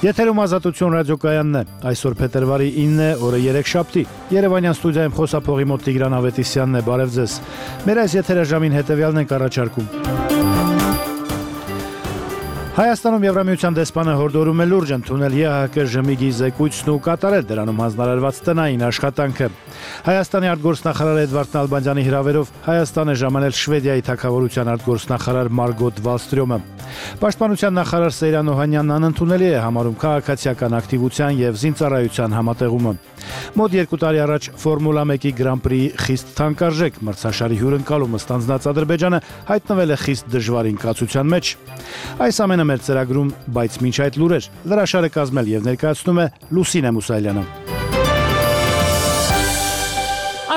Եթերում ազատություն ռադիոկայանն է, այսօր փետրվարի 9-ը, օրը 3 շաբթի, Երևանյան ստուդիայում խոսափողի մոտ Տիգրան Ավետիսյանն է, բարև ձեզ, մեր այս եթերաժամին հետևյալն ենք առաջարկում։ Հայաստանում Եվրամիության դեսպանը հորդորում է լուրջ ընդունել ԵԱՀԿ ԺՄԻԳ-ի զեկույցն ու կատարել դրանում հանձնարարված տնային աշխատանքը։ Հայաստանի արտգործնախարար Էդվարդ Նալբանդյանի հրավերով Հայաստան է ժամանել Շվեդիայի թագավորության արտգործնախարար Մարգոտ Վալստրյոմը։ Պաշտպանության նախարար Սեյրան Օհանյանն անընդունելի է համարում քաղաքացիական ակտիվության եւ զինծառայության համատեղումը։ Մոտ 2 տարի առաջ Ֆորմուլա 1-ի Գրանպրիի խիստ թանկարժեք մրցաշարի հյուրընկալումը ստանձնած Ադրբեջանը հայտնվել է խիստ դժվար ինքնացության մեջ։ Այս ամենը մեր ծրագրում, բայց մինչ այդ լուրեր, լրաշարը կազմել եւ ներկայացնում է Լուսինե Մուսայելյանը։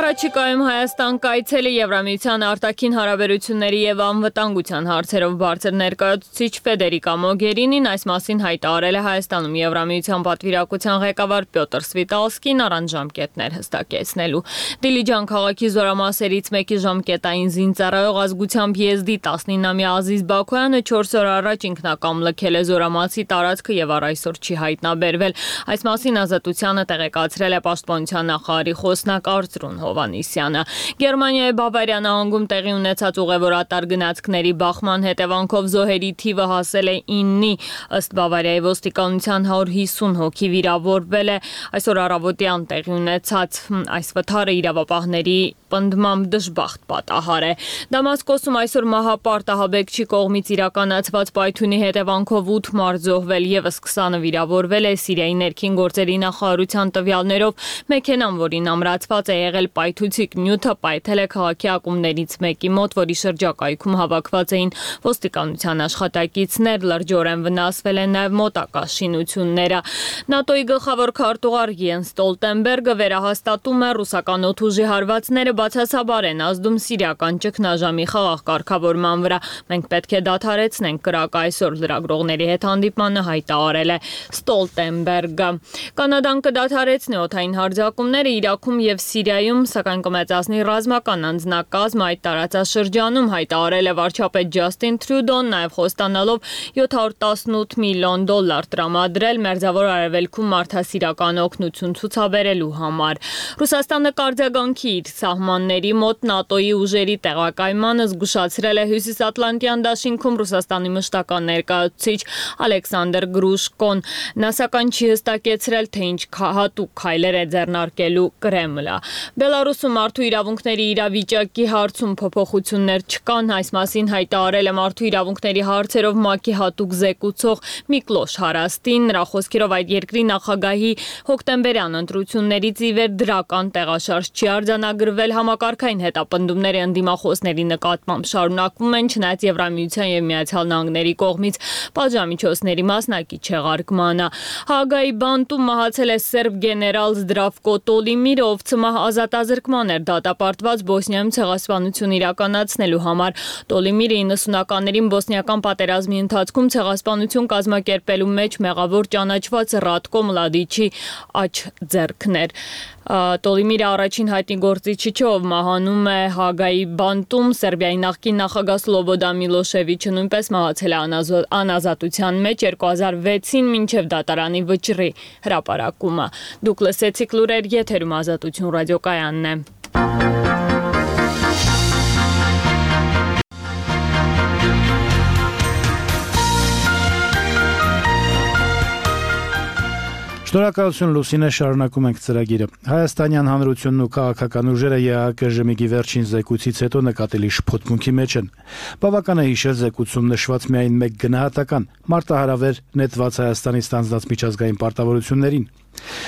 Առաջիկայում Հայաստան կայցելի Եվրամիության արտաքին հարաբերությունների եւ անվտանգության հարցերով բարձր ներկայացուցիչ Ֆեդերիկա Մոգերինին այս մասին հայտարարել է Հայաստանում Եվրամիության պատվիրակության ղեկավար Պյոտր Սվիտալսկին առանց ժամկետներ հստակեցնելու։ Դիլիջան քաղաքի զորամասերից մեկի ժամկետային զինծառայող ազգությամբ եզդի 19-ամյա Ազիզ Բաքոյանը 4 օր առաջ ինքնակամ լքել է զորամասի տարածքը եւ առ այսօր չի հայտնաբերվել։ Այս մասին Ազատությանը տեղեկացրել է Պաշտպանության նախարարի խոսնակ Արծրուն Հովանիսյանը։ Գերմանիայի Բավարիա նահանգում տեղի ունեցած ուղևորատար գնացքների բախման հետևանքով զոհերի թիվը հասել է 9-ի, ըստ Բավարիայի ոստիկանության 150 հոգի վիրավորվել է։ Այսօր առավոտյան տեղի ունեցած այս վթարը իրավապահների պնդմամբ դժբախտ պատահար է։ Դամասկոսում այսօր մահապարտ ահաբեկչի կողմից իրականացված պայթյունի հետևանքով 8 մարդ զոհվել եւս 20-ը վիրավորվել է։ Սիրիայի ներքին գործերի նախարարության տվյալներով մեքենան, որին ամրացված է եղել պայթուցիկ նյութը, պայթել է քաղաքի ակումբներից մեկի մոտ, որի շրջակայքում հավաքված էին ոստիկանության աշխատակիցներ, լրջորեն վնասվել են նաև մոտակա շինությունները։ ՆԱՏՕ-ի գլխավոր քարտուղար Յենս Ստոլտենբերգը վերահաստատում է ռուսական օդուժի հարվածները բացասաբար են ազդում սիրիական ճգնաժամի խաղաղ կարգավորման վրա։ Մենք պետք է դադարեցնենք կրակը, այսօր լրագրողների հետ հանդիպմանը հայտարարել է Ստոլտենբերգը։ Կանադան կդադարեցնի օդային հարձակումները Իրաքում եւ Սիրիայում, սակայն կմեծացնի ռազմական անձնակազմը այդ տարածաշրջանում, հայտարարել է վարչապետ Ջաստին Թրյուդոն, նաև խոստանալով $718 միլիոն տրամադրել Մերձավոր Արևելքում մարդասիրական օգնություն ցուցաբերելու համար։ Ռուսաստանը կարձագանքի իր սահմանների մոտ ՆԱՏՕ-ի ուժերի տեղակայմանը զգուշացրել է Հյուսիսատլանտյան դաշինքում Ռուսաստանի մշտական ներկայացուցիչ Ալեքսանդր Գրուշկոն։ Նա սակայն չի հստակեցրել, թե ինչ հատուկ քայլեր է ձեռնարկելու Կրեմլը։ Բելարուսում մարդու իրավունքների իրավիճակի հարցում փոփոխություններ չկան, այս մասին հայտարարել է մարդու իրավունքների հարցերով ՄԱԿ-ի հատուկ զեկուցող Միկլոշ Հարաստին։ Նրա խոսքերով այդ երկրի նախագահի հոկտեմբերյան ընտրություններից ի վեր դրական տեղաշարժ չի արձանագրվել, համակարգային հետապնդումները ընդդիմախոսների նկատմամբ շարունակվում են, չնայած Եվրամիության եւ Միացյալ Նահանգների կողմից պատժամիջոցների մասնակի չեղարկմանը։ Հագայի բանտում մահացել է սերբ գեներալ Զդրավկո Տոլիմիրը, ով ցմահ ազատազրկման էր դատապարտված Բոսնիայում ցեղասպանություն իրականացնելու համար։ Տոլիմիրը 90-ականներին բոսնիական պատերազմի ընթացքում ցեղասպանություն կազմակերպելու մեջ մեղավոր ճանաչված Ռատկո Մլադիչի աջ ձեռքն էր։ Տոլիմիրը առաջին հայտնի գործիչը չէ, ով մահանում է Հագայի բանտում։ Սերբիայի նախկին նախագահ Սլոբոդա Միլոշևիչը նույնպես մահացել է անազատության մեջ 2006-ին մինչև դատարանի վճռի հրապարակումը։ Դուք լսեցիք լուրեր, եթերում Ազատություն ռադիոկայանն է։ Շնորհակալություն Լուսինե, շարունակում ենք ծրագիրը։ Հայաստանյան հանրությունն ու քաղաքական ուժերը ԵԱՀԿ ԺՄԻԳ-ի վերջին զեկույցից հետո նկատելի շփոթմունքի մեջ են։ Բավական է հիշել զեկույցում նշված միայն մեկ գնահատական՝ մարտահրավեր նետված Հայաստանի ստանձնած միջազգային պարտավորություններին։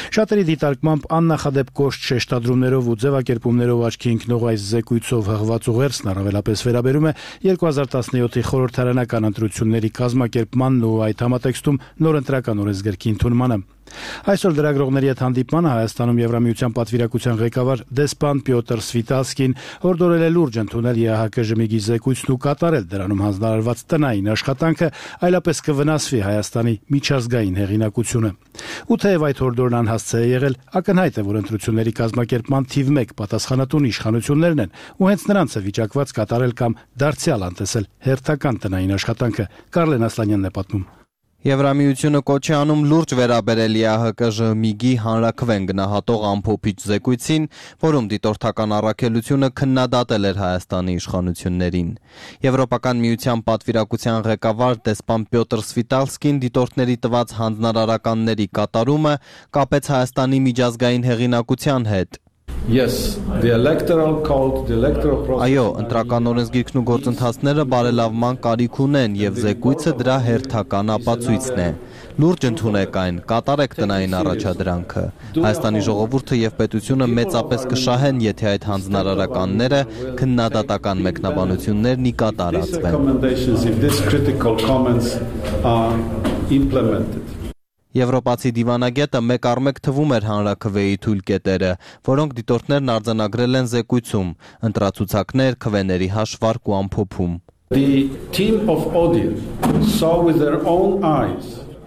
Շատերի դիտարկմամբ աննախադեպ կոշտ շեշտադրումներով ու ձևակերպումներով աչքի ընկնող այս զեկույցով հղված ուղերձն առավելապես վերաբերում է 2017-ի խորհրդարանական ընտրությունների կազմակերպմանն ու այդ համատեքստում նոր ընտրական օրենսգրքի ընդունմանը։ Այսօր լրագրողների հետ հանդիպմանը Հայաստանում Եվրամիության պատվիրակության ղեկավար դեսպան Պյոտր Սվիտալսկին հորդորել է լուրջ ընդունել ԵԱՀԿ ԺՄԻԳ-ի զեկույցն ու կատարել դրանում հանձնարարված տնային աշխատանքը, այլապես կվնասվի Հայաստանի միջազգային հեղինակությունը։ Ու թեև այդ հորդորն անհասցե է եղել, ակնհայտ է, որ ընտրությունների կազմակերպման թիվ 1 պատասխանատուն իշխանություններն են, ու հենց նրանց է վիճակված կատարել կամ դարձյալ անտեսել հերթական տնային աշխատանքը։ Կարլեն Ասլանյանն է պատմում։ Եվրամիությունը կոչ է անում լուրջ վերաբերել ԵԱՀԿ-ԺՄԻԳ-ի հանրաքվեն գնահատող ամփոփիչ զեկույցին, որում դիտորդական առաքելությունը քննադատել էր Հայաստանի իշխանություններին։ Եվրոպական միության պատվիրակության ղեկավար դեսպան Պյոտր Սվիտալսկին դիտորդների տված հանձնարարականների կատարումը կապեց Հայաստանի միջազգային հեղինակության հետ։ Այո, ընտրական օրենսգիրքն ու գործընթացները բարելավման կարիք ունեն եւ զեկույցը դրա հերթական ապացույցն է։ Լուրջ ընդունեք այն, կատարեք տնային առաջադրանքը։ Հայաստանի ժողովուրդը եւ պետությունը մեծապես կշահեն, եթե այդ հանձնարարականները քննադատական մեկնաբանություններն ի կատարածվեն։ Եվրոպացի դիվանագետը մեկ առ մեկ թվում էր հանրաքվեի թույլ կետերը, որոնք դիտորդներն արձանագրել են զեկույցում, ընտրացուցակներ, քվեների հաշվարկ ու ամփոփում։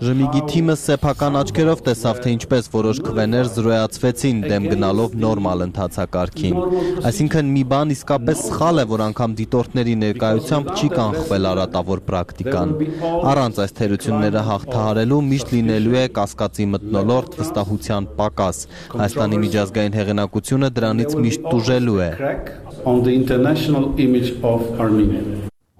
ԺՄԻԳ-ի թիմը սեփական աչքերով տեսավ, թե ինչպես որոշ քվեներ զրոյացվեցին դեմ գնալով նորմալ ընթացակարգին։ Այսինքն մի բան իսկապես սխալ է, որ անգամ դիտորդների ներկայությամբ չի կանխվել արատավոր պրակտիկան։ Առանց այս թերությունները հաղթահարելու միշտ լինելու է կասկածի մթնոլորտ, վստահության պակաս։ Հայաստանի միջազգային հեղինակությունը դրանից միշտ տուժելու է։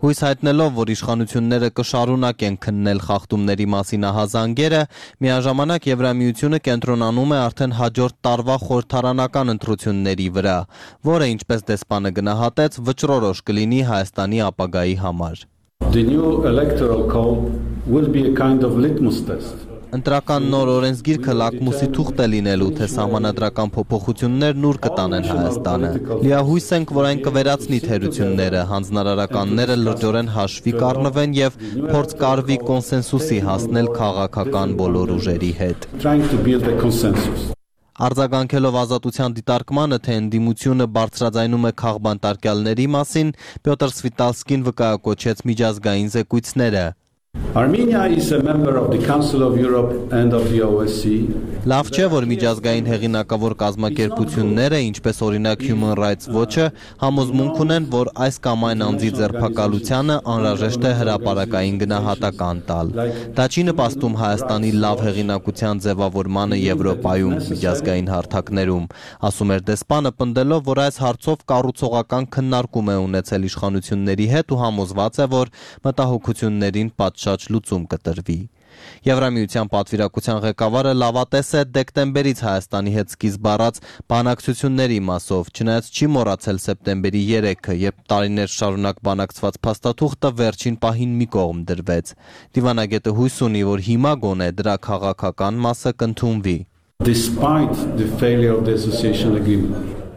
Հույս հայտնելով, որ իշխանությունները կշարունակեն քննել խախտումների մասին ահազանգերը, միաժամանակ Եվրամիությունը կենտրոնանում է արդեն հաջորդ տարվա խորհրդարանական ընտրությունների վրա, որը, ինչպես դեսպանը գնահատեց, վճռորոշ կլինի Հայաստանի ապագայի համար։ Ընտրական նոր օրենսգիրքը լակմուսի թուղթ է լինելու, թե սահմանադրական փոփոխություններն ուր կտանեն Հայաստանը։ Լիահույս ենք, որ այն կվերացնի թերությունները, հանձնարարականները լրջորեն հաշվի կառնվեն եւ փորձ կարվի կոնսենսուսի հասնել քաղաքական բոլոր ուժերի հետ։ Արձագանքելով ազատության դիտարկմանը, թե ընդդիմությունը բարձրաձայնում է քաղբանտարկյալների մասին, Պյոտր Սվիտալսկին վկայակոչեց միջազգային զեկույցները։ Լավ չէ, որ միջազգային հեղինակավոր կազմակերպությունները, ինչպես օրինակ Human Rights Watch-ը, համոզմունք ունեն, որ այս կամ այն անձի ձերբակալությանը անհրաժեշտ է հրապարակային գնահատական տալ։ Դա չի նպաստում Հայաստանի լավ հեղինակության ձևավորմանը Եվրոպայում, միջազգային հարթակներում, ասում էր դեսպանը, պնդելով, որ այս հարցով կառուցողական քննարկում է ունեցել իշխանությունների հետ ու համոզված է, որ մտահոգություններին պատշաճ լուծում կտրվի։ Եվրամիության պատվիրակության ղեկավարը լավատես է դեկտեմբերից Հայաստանի հետ սկիզբ առած բանակցությունների մասով, չնայած չի մոռացել սեպտեմբերի 3-ը, երբ տարիներ շարունակ բանակցված փաստաթուղթը վերջին պահին մի կողմ դրվեց։ Դիվանագետը հույս ունի, որ հիմա գոնե դրա քաղաքական մասը կընդունվի։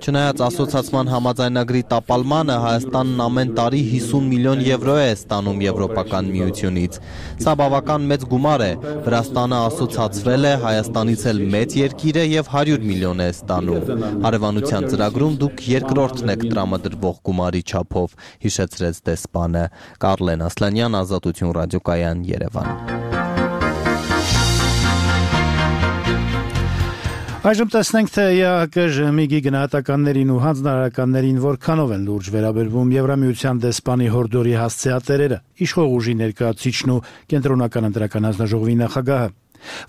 Չնայած ասոցացման համաձայնագրի տապալմանը, Հայաստանն ամեն տարի 50 միլիոն եվրո է ստանում Եվրոպական միությունից։ Սա բավական մեծ գումար է։ Վրաստանը ասոցացվել է, Հայաստանից էլ մեծ երկիր է եւ 100 միլիոն է ստանում։ Հարևանության ծրագրում դուք երկրորդն եք տրամադրվող գումարի չափով, հիշեցրեց դեսպանը։ Կարլեն Ասլանյան, Ազատություն ռադիոկայան, Երևան։ Այժմ տեսնենք, թե ԵԱՀԿ-ԺՄԻԳ-ի գնահատականներին ու հանձնարարականներին որքանով են լուրջ վերաբերվում Եվրամիության դեսպանի հորդորի հասցեատերերը, իշխող ուժի ներկայացուցիչն ու կենտրոնական ընտրական հանձնաժողովի նախագահը։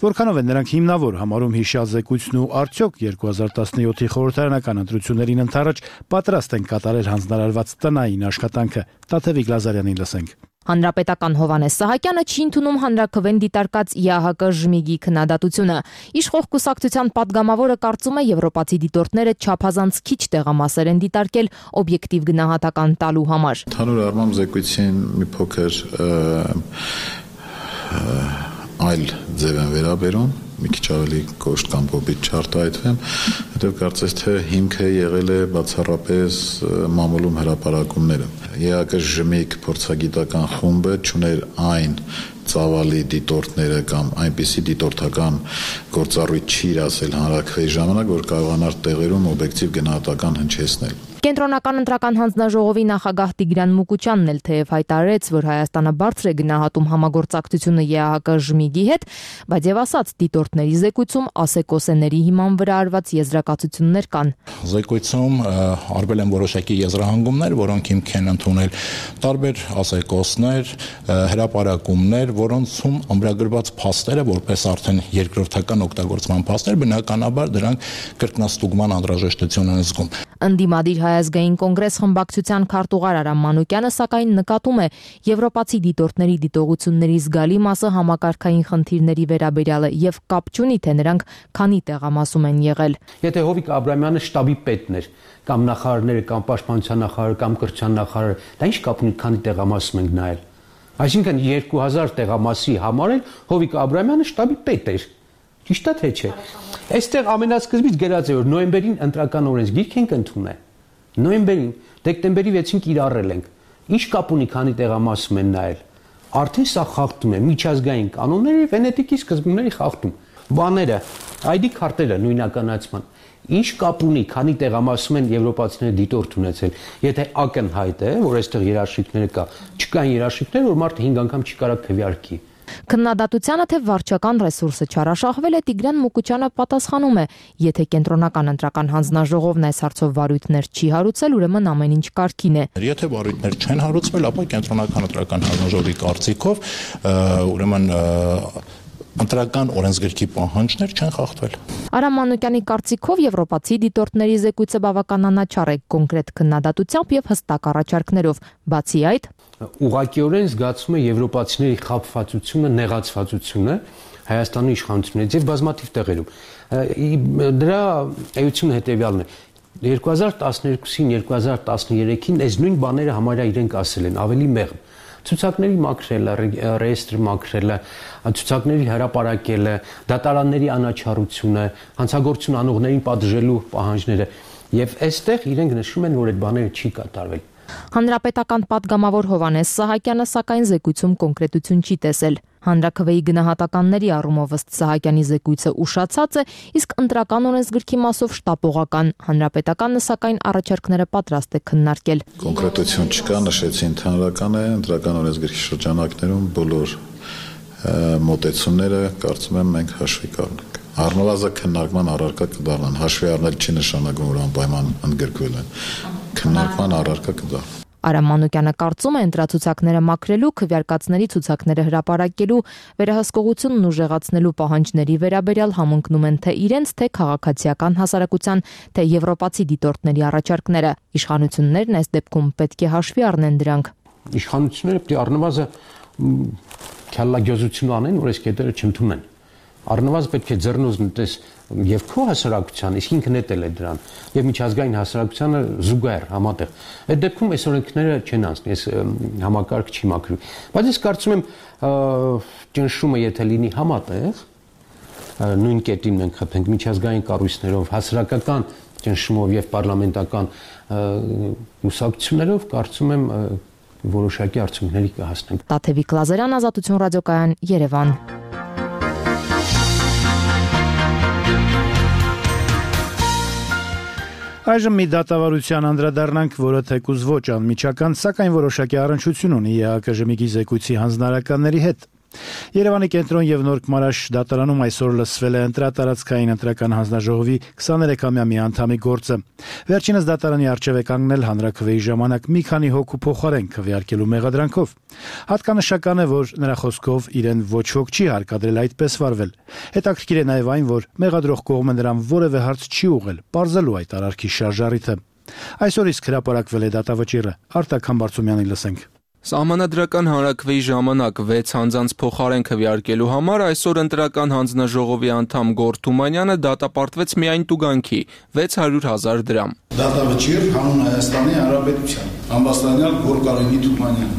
Որքանով են նրանք հիմնավոր համարում հիշյալ զեկույցն ու արդյոք 2017-ի խորհրդարանական ընտրություններին ընդառաջ պատրաստ են կատարել հանձնարարված տնային աշխատանքը։ Տաթևիկ Լազարյանին լսենք։ Հանրապետական Հովհաննես Սահակյանը չի ընդունում հանրաքվեն դիտարկած ԵԱՀԿ-ԺՄԻԳ-ի քննադատությունը։ Իշխող կուսակցության падգամավորը կարծում է, եվրոպացի դիտորդները չափազանց քիչ տեղամասեր են դիտարկել օբյեկտիվ գնահատական տալու համար։ Ընդհանուր առմամբ զեկույցին մի փոքր այլ ձև են վերաբերում, մի քիչ ավելի կոշտ կամ կոպիտ չարտահայտվեմ, հետո կարծես թե հիմքը եղել է բացառապես մամուլում հրապարակումները։ ԵԱՀԿ-ԺՄԻԳ փորձագիտական խումբը չուներ այն ծավալի դիտորդները կամ այնպիսի դիտորդական գործառույթ չի իրացել հանրաքվեի ժամանակ, որ կարողանար տեղերում օբյեկտիվ գնահատական հնչեցնել։ Կենտրոնական ընտրական հանձնաժողովի նախագահ Տիգրան Մուկուչյանն էլ թեև հայտարարեց, որ Հայաստանը բարձր է գնահատում համագործակցությունը ԵԱՀԿ-ԺՄԻԳ-ի հետ, բայց եւ ասաց, դիտորդների զեկույցում ասեկոսեների հիման վրա արված եզրակացություններ կան։ Զեկույցում արվել են որոշակի եզրահանգումներ, որոնք հիմք են ընդունել տարբեր ասեկոսներ, հրապարակումներ, որոնցում ամրագրված փաստերը, որպես արդեն երկրորդական օգտագործման փաստեր, բնականաբար դրանք կրկնաստուգման անհրաժեշտություն են զգում։ Ընդդիմադիր Հայ ազգային կոնգրես խմբակցության քարտուղար Արամ Մանուկյանը սակայն նկատում է եվրոպացի դիտորդների դիտողությունների զգալի մասը համակարգային խնդիրների վերաբերյալ է եւ կապ չունի, թե նրանք քանի տեղամասում են եղել։ Եթե Հովիկ Աբրահամյանը շտաբի պետն էր, կամ նախարարները, կամ պաշտպանության նախարարը, կամ կրթության նախարարը, դա ինչ կապ ունի, քանի տեղամասում ենք նայել։ Այսինքն 2000 տեղամասի համար էլ Հովիկ Աբրահամյանը շտաբի պետ էր։ Ճիշտ է թե չէ։ Այստեղ ամենասկզբից գրած է, որ նոյեմբերին ընտրական օրենսգիրք ենք ընդունել։ Նոյեմբերին, դեկտեմբերի 6-ին կիրառել ենք։ Ինչ կապ ունի, քանի տեղամասում են նայել։ Արդեն սա խախտում է միջազգային կանոնների, Վենետիկի սկզբունքների խախտում։ Բաները, ID քարտերը նույնականացման։ Ինչ կապ ունի, քանի տեղամասում են եվրոպացիները դիտորդ ունեցել։ Եթե ակնհայտ է, որ այստեղ երաշխիքներ կա, չկան երաշխիքներ, որ մարդը 5 անգամ չի կարող քվեարկի։ Քննադատությանը թե վարչական ռեսուրսը չարաշահվել է, Տիգրան Մուկուչյանը պատասխանում է. եթե կենտրոնական ընտրական հանձնաժողովն այս հարցով վարույթներ չի հարուցել, ուրեմն ամեն ինչ կարգին է։ Եթե վարույթներ չեն հարուցվել, ապա կենտրոնական ընտրական հանձնաժողովի կարծիքով ուրեմն ընտրական օրենսգրքի պահանջներ չեն խախտվել։ Արամ Մանուկյանի կարծիքով եվրոպացի դիտորդների զեկույցը բավական անաչառ է կոնկրետ քննադատությամբ եւ հստակ առաջարկներով։ Բացի այդ, ուղղակիորեն զգացում է եվրոպացիների խաբվածությունը, նեղացվածությունը Հայաստանի իշխանություններից եւ բազմաթիվ տեղերում։ Դրա էությունը հետեւյալն է. 2012-ին, 2013-ին այս նույն բաները համարյա իրենք ասել են, ավելի մեղմ։ Ցուցակների մաքրելը, ռեեստրը մաքրելը, ցուցակների հրապարակելը, դատարանների անաչառությունը, հանցագործություն անողներին պատժելու պահանջները եւ այստեղ իրենք նշում են, որ այդ բաները չի կատարվել։ Հանրապետական պատգամավոր Հովհաննես Սահակյանը սակայն զեկույցում կոնկրետություն չի տեսել։ Հանրաքվեի գնահատականների առումով ըստ Սահակյանի զեկույցը ուշացած է, իսկ ընտրական օրենսգրքի մասով շտապողական։ Հանրապետականը սակայն առաջարկները պատրաստ է քննարկել։ Կոնկրետություն չկա, նշեցի ընդհանրական է, ընտրական օրենսգրքի շրջանակներում բոլոր մոտեցումները կարծում եմ մենք հաշվի կառնենք։ Առնվազն քննարկման առարկա կդառնան, հաշվի առնել չի նշանակում, որ անպայման ընդգրկվել են։ Քննարկման առարկա կդառնան։ Արամ Մանուկյանը կարծում է ընտրացուցակները մաքրելու, քվեարկածների ցուցակները հրապարակելու, վերահսկողությունն ուժեղացնելու պահանջների վերաբերյալ համընկնում են թե իրենց, թե քաղաքացիական հասարակության, թե եվրոպացի դիտորդների առաջարկները։ Իշխանություններն այս դեպքում պետք է հաշվի առնեն դրանք։ Իշխանությունները պետք է առնվազն քյալլագյոզություն անեն, որ այս կետերը չընդունեն։ Առնվազն պետք է ձեռնոց նետես եւ քո հասարակության, իսկ ինքն էլ է դրան, եւ միջազգային հասարակությանը զուգահեռ համատեղ։ Այդ դեպքում այս օրենքները չեն անցնի, այս համակարգ չի մաքրվի։ Բայց ես կարծում եմ ճնշումը եթե լինի համատեղ, նույն կետին մենք խփենք միջազգային կառույցներով, հասարակական ճնշումով եւ պարլամենտական կուսակցություններով, կարծում եմ որոշակի արդյունքների կհասնենք։ Տաթևիկ Լազարյան, Ազատություն ռադիոկայան, Երևան։ Այժմ մի դատավարության անդրադառնանք, որը թեկուզ ոչ անմիջական, սակայն որոշակի առնչություն ունի ԵԱՀԿ-ԺՄԻԳ-ի զեկույցի հանձնարարականների հետ։ Երևանի կենտրոն եւ Նորք-Մարաշ դատարանում այսօր լսվել է ընտրատարածքային ընտրական հանձնաժողովի 23-ամյա մի անդամի գործը։ Վերջինս դատարանի առջև է կանգնել հանրաքվեի ժամանակ մի քանի հոգու փոխարեն քվեարկելու մեղադրանքով։ Հատկանշական է, որ նրա խոսքով իրեն ոչ ոք չի հարկադրել այդպես վարվել։ Հետաքրքիր է նաեւ այն, որ մեղադրող կողմը նրան որևէ հարց չի ուղղել, պարզելու այդ արարքի շարժառիթը։ Այսօր իսկ հրապարակվել է դատավճիռը։ Արտակ Համբարձումյանին լսենք։ Սահմանադրական հանրաքվեի ժամանակ 6 անձանց փոխարեն քվեարկելու համար այսօր ընտրական հանձնաժողովի անդամ Գոռ Թումանյանը դատապարտվեց միայն տուգանքի 600,000 դրամ։ Դատավճիռ հանուն Հայաստանի Հանրապետության ամբաստանյալ Գոռ Կարենի Թումանյան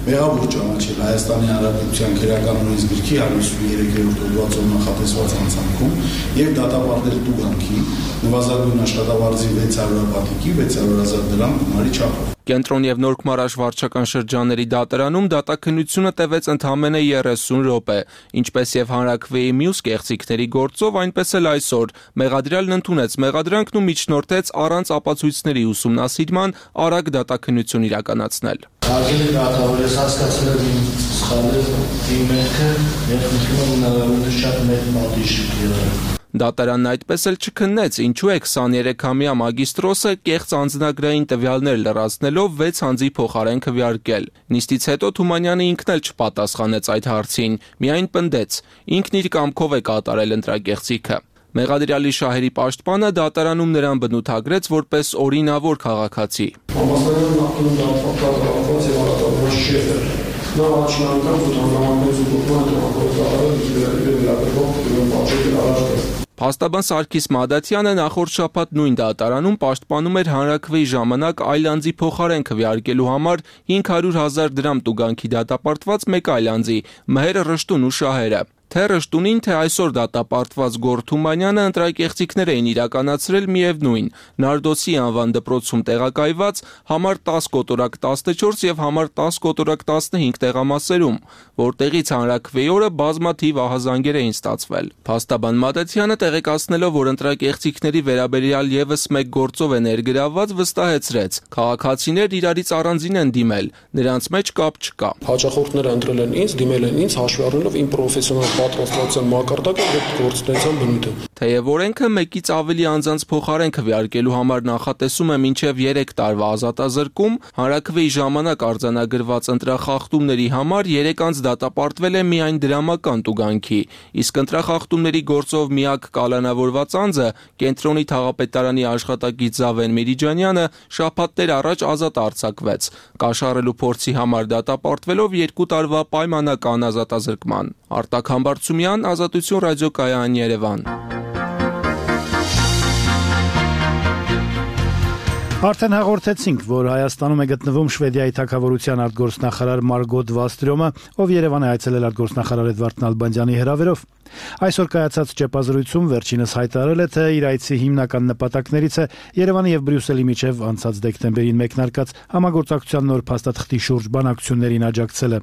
մեղավոր ճանաչել Հայաստանի Հանրապետության քրեական օրենսգրքի 153-րդ հոդվածով նախատեսված հանցանքում եւ դատապարտել տուգանքի նվազագույն աշխատավարձի 600 հատիկի 600,000 դրամ գումարի չափով։ Կենտրոն եւ Նորքմարաշ վարչական շրջանների դատարանում դատաքննությունը տևեց ընդամենը 30 րոպե, ինչպես եւ հանրաքվեի մյուս կեղծիքների գործով, այնպես էլ այսօր մեղադրյալն ընդունեց մեղադրանքն ու միջնորդեց առանց ապացույցների ուսումնասիրման արագ դատաքննություն իրականացնել։ Արգելի դատավոր, ես հասկացել եմ իմ սխալը, իմ մեղքը եւ խնդրում եմ հնարավորինս շատ մեծ պատիժ եղել։ Դատարանն այդպես էլ չքննեց, ինչու է 23-ամյա մագիստրոսը կեղծ անձնագրային տվյալներ լրացնելով 6 անձի փոխարեն քվեարկել։ Նիստից հետո Թումանյանը ինքն էլ չպատասխանեց այդ հարցին, միայն պնդեց, ինքն իր կամքով է կատարել ընտրակեղծիքը։ Մեղադրյալի շահերի պաշտպանը դատարանում նրան բնութագրեց որպես օրինավոր քաղաքացի։ Փաստաբան Սարգիս Մադաթյանը նախորդ շաբաթ նույն դատարանում պաշտպանում էր հանրաքվեի ժամանակ այլ անձի փոխարեն քվեարկելու համար 500,000 դրամ տուգանքի դատապարտված մեկ այլ անձի՝ Մհեր Ռշտուն ու շահերը։ Թե Ռշտունին, թե այսօր դատապարտված Գոռ Թումանյանը ընտրակեղծիքներ էին իրականացրել միևնույն Նարդոսի անվան դպրոցում տեղակայված համար 10 կոտորակ 14 եւ համար 10 կոտորակ 15 տեղամասերում, որտեղից հանրաքվեի օրը բազմաթիվ ահազանգեր էին ստացվել։ Փաստաբան Մադաթյանը տեղեկացնելով, որ ընտրակեղծիքների վերաբերյալ եւս մեկ գործով է ներգրավված, վստահեցրեց. քաղաքացիներ իրարից առանձին են դիմել, նրանց մեջ կապ չկա։ Հաճախորդները ընտրել են ինձ, դիմել են ինձ, հաշվի առնելով իմ պրոֆեսիոնալ պատրաստվածության մակարդակը եւ գործունեության բնույթը։ Թեև օրենքը մեկից ավելի անձանց փոխարեն քվեարկելու համար նախատեսում է մինչև 3 տարվա ազատազրկում, հանրաքվեի ժամանակ արձանագրված ընտրախախտումների համար 3 անձ դատապարտվել է միայն դրամական տուգանքի, իսկ ընտրախախտումների գործով միակ կալանավորված անձը կենտրոնի թաղապետարանի աշխատակից Զավեն Միրիջանյանը շաբաթներ առաջ ազատ արձակվեց, կաշառելու փորձի համար դատապարտվելով 2 տարվա պայմանական ազատազրկման։ Արտակ Համբարձումյան, Ազատություն ռադիոկայան, Երևան։ Արդեն հաղորդեցինք, որ Հայաստանում է գտնվում Շվեդիայի թագավորության արտգործնախարար Մարգոտ Վալստրյոմը, ով Երևան է այցելել արտգործնախարար Էդվարդ Նալբանդյանի հրավերով։ Այսօր կայացած ճեպազրույցում վերջինս հայտարարել է, թե իր այցի հիմնական նպատակներից է Երևանի եւ Բրյուսելի միջև անցած դեկտեմբերին մեկնարկած համագործակցության նոր փաստաթղթի շուրջ բանակցություններին աջակցելը։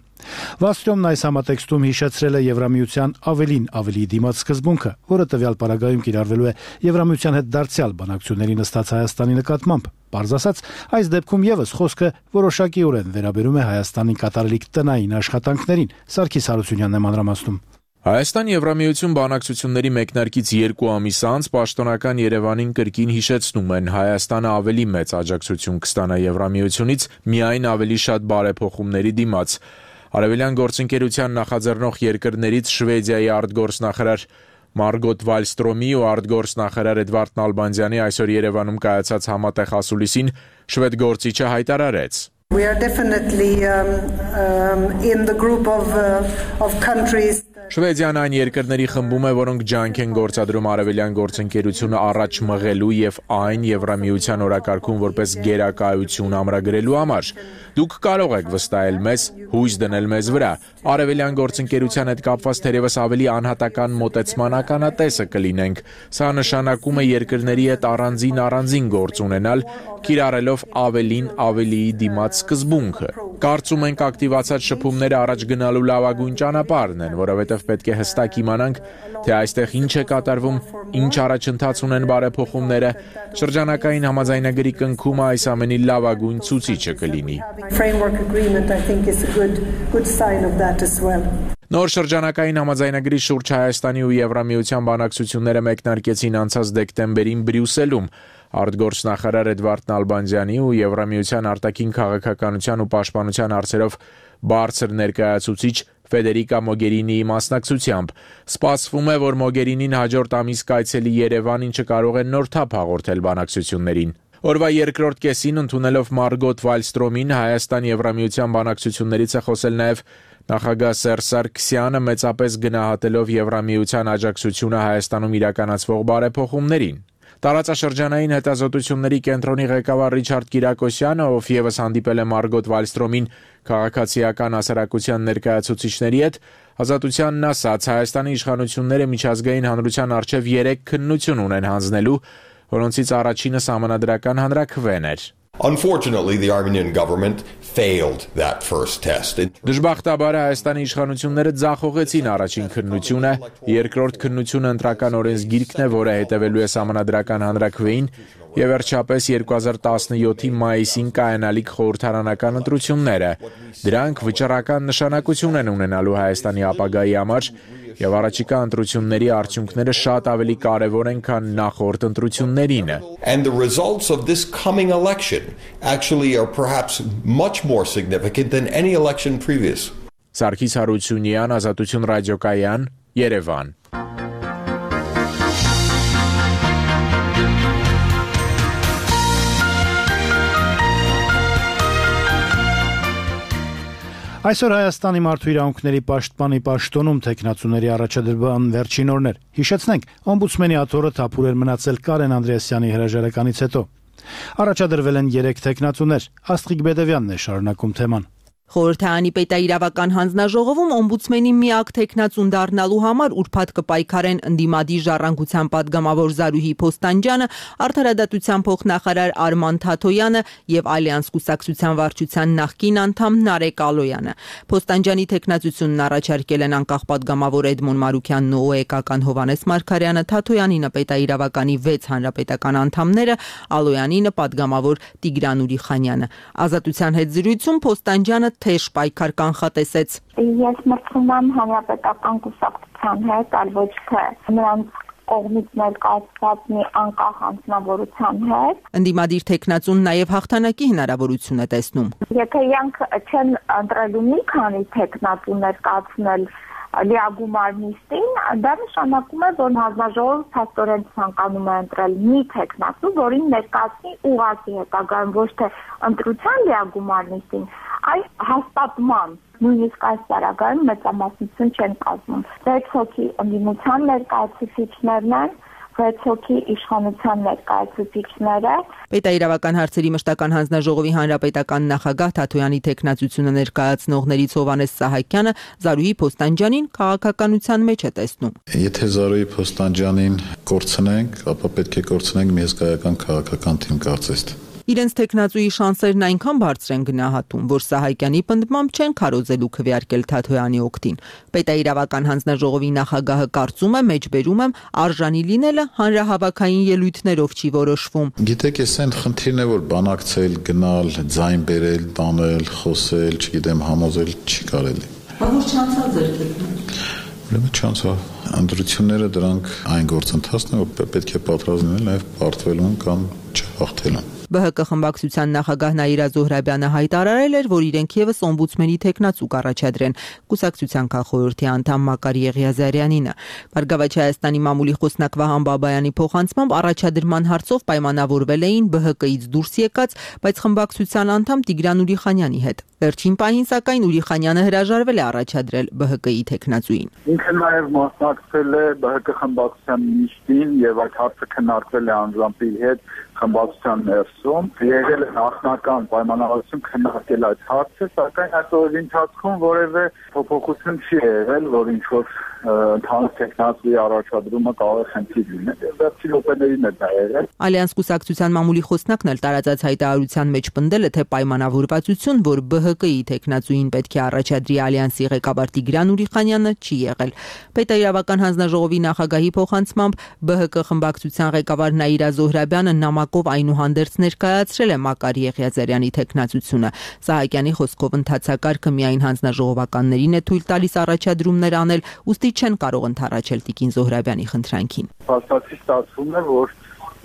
Վալստրյոմն այս համատեքստում հիշեցրել է Եվրամիության ավելի դիմաց սկզբունքը, որը տվյալ պարագայում կիրառվելու է Եվրամիության հետ դարձյալ բանակցությունների նստած Հայաստանի նկատմամբ։ Պարզ ասած, այս դեպքում եւս խոսքը որոշակիորեն վերաբերում է Հայաստանի կատարելիք տնային աշխատանքներին։ Սարգիս Հարությունյանն է մանրամասնում։ Հայաստան-Եվրամիություն բանակցությունների մեկնարկից 2 ամիս անց պաշտոնական Երևանին կրկին հիշեցնում են Հայաստանը ավելի մեծ աջակցություն կստանա Եվրամիությունից միայն ավելի շատ բարեփոխումների դիմաց։ Արևելյան գործընկերության նախաձեռնող երկրներից Շվեդիայի արտգործնախարար Մարգոտ Վալստրոմի ու արտգործնախարար Էդվարդ Նալբանդյանի այսօր Երևանում կայացած համատեղ ասուլիսին շվեդ գործիչը հայտարարեց. We are definitely in the group of countries. Շվեդիան այն երկրների խմբում է, որոնք ջանք են գործադրում արևելյան գործընկերությունը առաջ մղելու եւ այն Եվրամիության օրակարգում որպես գերակայություն ամրագրելու համար։ Դուք կարող եք վստահել մեզ, հույս դնել մեզ վրա։ Արևելյան գործընկերության հետ կապված թերևս ավելի անհատական մոտեցման ականատեսը կլինենք։ Սա նշանակում է երկրների հետ առանձին գործ ունենալ, կիրառելով ավելիի դիմաց սկզբունքը։ Կարծում ենք ակտիվացած շփումները առաջ գնալու լավագույն ճանապարհն են, որովհետև պետք է հստակ իմանանք, թե այստեղ ինչ է կատարվում, ինչ առաջընթաց ունեն բարեփոխումները, շրջանակային համաձայնագրի կնքումը այս ամենի լավագույն ցուցիչը կլինի։ Նոր շրջանակային համաձայնագրի շուրջ Հայաստանի ու Եվրամիության բանակցությունները մեկնարկեցին անցած դեկտեմբերին Բրյուսելում։ Արտգործնախարար Էդվարդ Նալբանդյանի ու Եվրամիության արտաքին քաղաքականության ու պաշտպանության հարցերով բարձր ներկայացուցիչ Ֆեդերիկա Մոգերինիի մասնակցությամբ։ Սպասվում է, որ Մոգերինին հաջորդ ամիս կայցելի Երևան, ինչը կարող է նոր թափ հաղորդել բանակցություններին։ Օրվա երկրորդ կեսին ընդունելով Մարգոտ Վալստրոմին Հայաստան-Եվրամիության բանակցություններից է խոսել նաև նախագահ Սերժ Սարգսյանը, մեծապես գնահատելով Եվրամիության աջակցությունը Հայաստանում իրականացվող բարեփոխումներին։ Տարածաշրջանային հետազոտությունների կենտրոնի ղեկավար Ռիչարդ Կիրակոսյանը, ով ևս հանդիպել է Մարգոտ Վալստրոմին քաղաքացիական հասարակության ներկայացուցիչների հետ, ազատությանն ասաց, Հայաստանի իշխանությունները միջազգային հանրության առջև 3 քննություն ունեն հանձնելու, որոնցից առաջինը սահմանադրական հանրաքվեն էր։ Unfortunately, the Armenian government failed that first test. Դժբախտաբար Հայաստանի իշխանությունները ձախողեցին առաջին քննությունը, երկրորդ քննությունը ընտրական օրենսգիրքն է, որը հետևելու է Սահմանադրական հանրաքվեին, եւ վերջապես 2017-ի մայիսին կայանալիք խորհրդարանական ընտրությունները։ Դրանք վճռական նշանակություն են ունենալու Հայաստանի ապագայի համար, եւ առաջիկա ընտրությունների արդյունքները շատ ավելի կարեւոր են, քան նախորդ ընտրություններինը։ And the results of this coming election actually are perhaps much more significant than any election previous. Սարգիս Հարությունյան, Ազատություն ռադիոկայան, Երևան։ Այսօր Հայաստանի մարդու իրավունքների պաշտպանի պաշտոնում տեխնացուների առաջադրման վերջին օրն էր։ Հիշեցնենք, օմբուդսմենի աթոռը թափուր էր մնացել Կարեն Անդրեասյանի հրաժարականից հետո։ Առաջադրվել են 3 տեխնացուներ։ Աստղիկ Բեդևյանն է շարունակում թեման։ Խորհրդարանի պետաիրավական հանձնաժողովում օմբուդսմենի միակ տեխնացուն դառնալու համար ուրբաթ կպայքարեն ընդդիմադիր ժառանգության падգամավոր Զարուհի Փոստանջյանը, Արդարադատության փոխնախարար Արման Թաթոյանը եւ Ալյանս կուսակցության վարչության նախկին անդամ Նարեկ Ալոյանը։ Փոստանջյանի տեխնացությունն առաջարկել են անկախ падգամավոր Էդմոն Մարուքյանն ու ՕԵԿ-ական Հովանես Մարգարյանը, Թաթոյանինը պետաիրավականի 6 հանրապետական անդամները, Ալոյանինը падգամավոր Տիգրան Ուրիխանյանը։ Ազատության հետ զրույցում Փոստանջյանը թեժ պայքար կանխատեսեց։ Ես մրցում եմ հանրապետական կուսակցության հետ, այլ ոչ թե նրանց կողմից ներկայացված մի անկախ անձնավորության հետ։ Ընդդիմադիր տեխնացուն նաև հաղթանակի հնարավորություն է տեսնում։ Եթե իրանք չեն ընտրելու մի քանի տեխնացու ներկայացնել լիագումար նիստին, դա նշանակում է, որ հանձնաժողովը փաստորեն ցանկանում է ընտրել մի տեխնացու, որին ներկայացնի ուղղակի հետագայում ոչ թե ընտրության լիագումար նիստին, այլ հաստատման, նույնիսկ այս տարագայում մեծամասնություն չեն կազմում։ 6 հոգի ընդդիմության ներկայացուցիչներն են, 6 հոգի իշխանության ներկայացուցիչները։ Պետաիրավական հարցերի մշտական հանձնաժողովի հանրապետական նախագահ Թաթոյանի տեխնացությունը ներկայացնողներից Հովանես Սահակյանը Զարուհի Փոստանջյանին քաղաքականության մեջ է տեսնում։ Եթե Զարուհի Փոստանջյանին կորցնենք, ապա պետք է կորցնենք մի հսկայական քաղաքական թիմ, կարծես թե։ Իրենց տեխնացուի շանսերն այնքան բարձր են գնահատում, որ Սահակյանի պնդմամբ չեն քարոզելու քվեարկել Թաթոյանի օգտին։ Պետաիրավական հանձնաժողովի նախագահը կարծում է, մեջբերում եմ, արժանի լինելը հանրահավաքային ելույթներով չի որոշվում։ Գիտեք, այս այն խնդիրն է, որ բանակցել, գնալ, ձայն բերել, տանել, խոսել, չգիտեմ, համոզել չի կարելի։ Որ չանցա ձեր տեխնիկան։ Ուրեմն չանցա։ Ընտրությունները դրանք այն գործընթացն է, որ պետք է պատրաստ լինել նաև պարտվելուն կամ չհաղթելուն։ ԲՀԿ խմբակցության նախագահ Նաիրա Զոհրաբյանը հայտարարել էր, որ իրենք եւս օմբուդսմենի տեխնացու կառաջադրեն կուսակցության քաղխորհրդի անդամ Մակար Եղիազարյանինը։ Բարգավաճ Հայաստանի մամուլի խոսնակ Վահան Բաբայանի փոխանցմամբ առաջադրման հարցով պայմանավորվել էին ԲՀԿ-ից դուրս եկած, բայց խմբակցության անդամ Տիգրան Ուրիխանյանի հետ։ Վերջին պահին սակայն Ուրիխանյանը հրաժարվել է առաջադրել ԲՀԿ-ի տեխնացուին։ Ինքը նաև մասնակցել է ԲՀԿ խմբակցության նիստին եւ այդ հարցը քննարկվել է անձամբ իր հետ խմբակցության ներսում, եղել է նախնական պայմանավորություն քննարկել այդ հարցը, սակայն այս օրերի ընթացքում որևէ փոփոխություն չի եղել, որ ինչ-որ ընդհանուր տեխնացուի առաջադրումը կարող է խնդիր լինել։ Վերջին րոպեներին է դա եղել։ Ալյանս կուսակցության մամուլի խոսնակն էլ տարածած հայտարարության մեջ պնդել է, թե պայմանավորվածություն, որ ԲՀԿ-ի տեխնացուին պետք է առաջադրի Ալյանսի ղեկավար Տիգրան Ուրիխանյանը, չի եղել։ Պետաիրավական հանձնաժողովի նախագահի փոխանցմամբ ԲՀԿ խմբակցության ղեկավար Նաիրա Զոհրաբյանը նամակով այնուհանդերձ ներկայացրել է Մակար Եղիազարյանի տեխնացությունը։ Սահակյանի խոսքով ընթացակարգը միայն հանձնաժողովականներին է թույլ տալիս առաջադրումներ անել, ուստի չեն կարող ընդառաջել Տիկին Զոհրաբյանի խնդրանքին։ Փաստացի ստացվում է, որ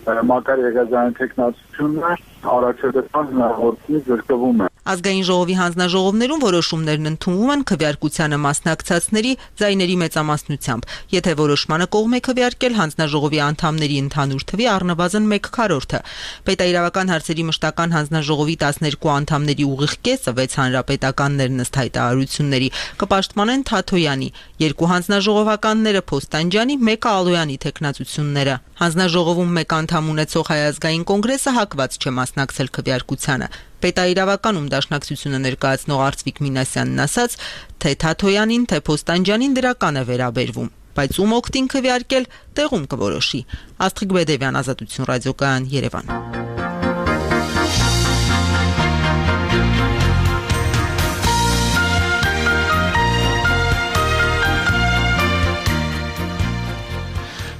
Մակար Եղիազարյանի տեխնացությունը առաջադրման հնարավորությունից զրկվում է։ Ազգային ժողովի հանձնաժողովներում որոշումներն ընդունվում են քվեարկությանը մասնակցածների ձայների մեծամասնությամբ։ Եթե որոշմանը կողմ է քվեարկել հանձնաժողովի անդամների ընդհանուր թվի առնվազն 1/4-ը։ Պետաիրավական հարցերի մշտական հանձնաժողովի 12 անդամների ուղիղ կեսը 6 հանրապետականներն ըստ հայտարարությունների կպաշտպանեն Թաթոյանի, 2 հանձնաժողովականները Փոստանջյանի, 1-ը Ալոյանի տեխնացությունները։ Հանձնաժողովում 1 անդամ ունեցող Հայ ազգային կոնգրեսը հակված չէ մասնակցել քվեարկությանը։ Պետաիրավականում դաշնակցությունը ներկայացնող Արծվիկ Մինասյանն ասաց, թե Թաթոյանին, թե Փոստանջյանին դրական է վերաբերվում, բայց ում օգտին քվեարկել տեղում կորոշի։ Աստղիկ Բեդևյան, Ազատություն ռադիոկայան, Երևան։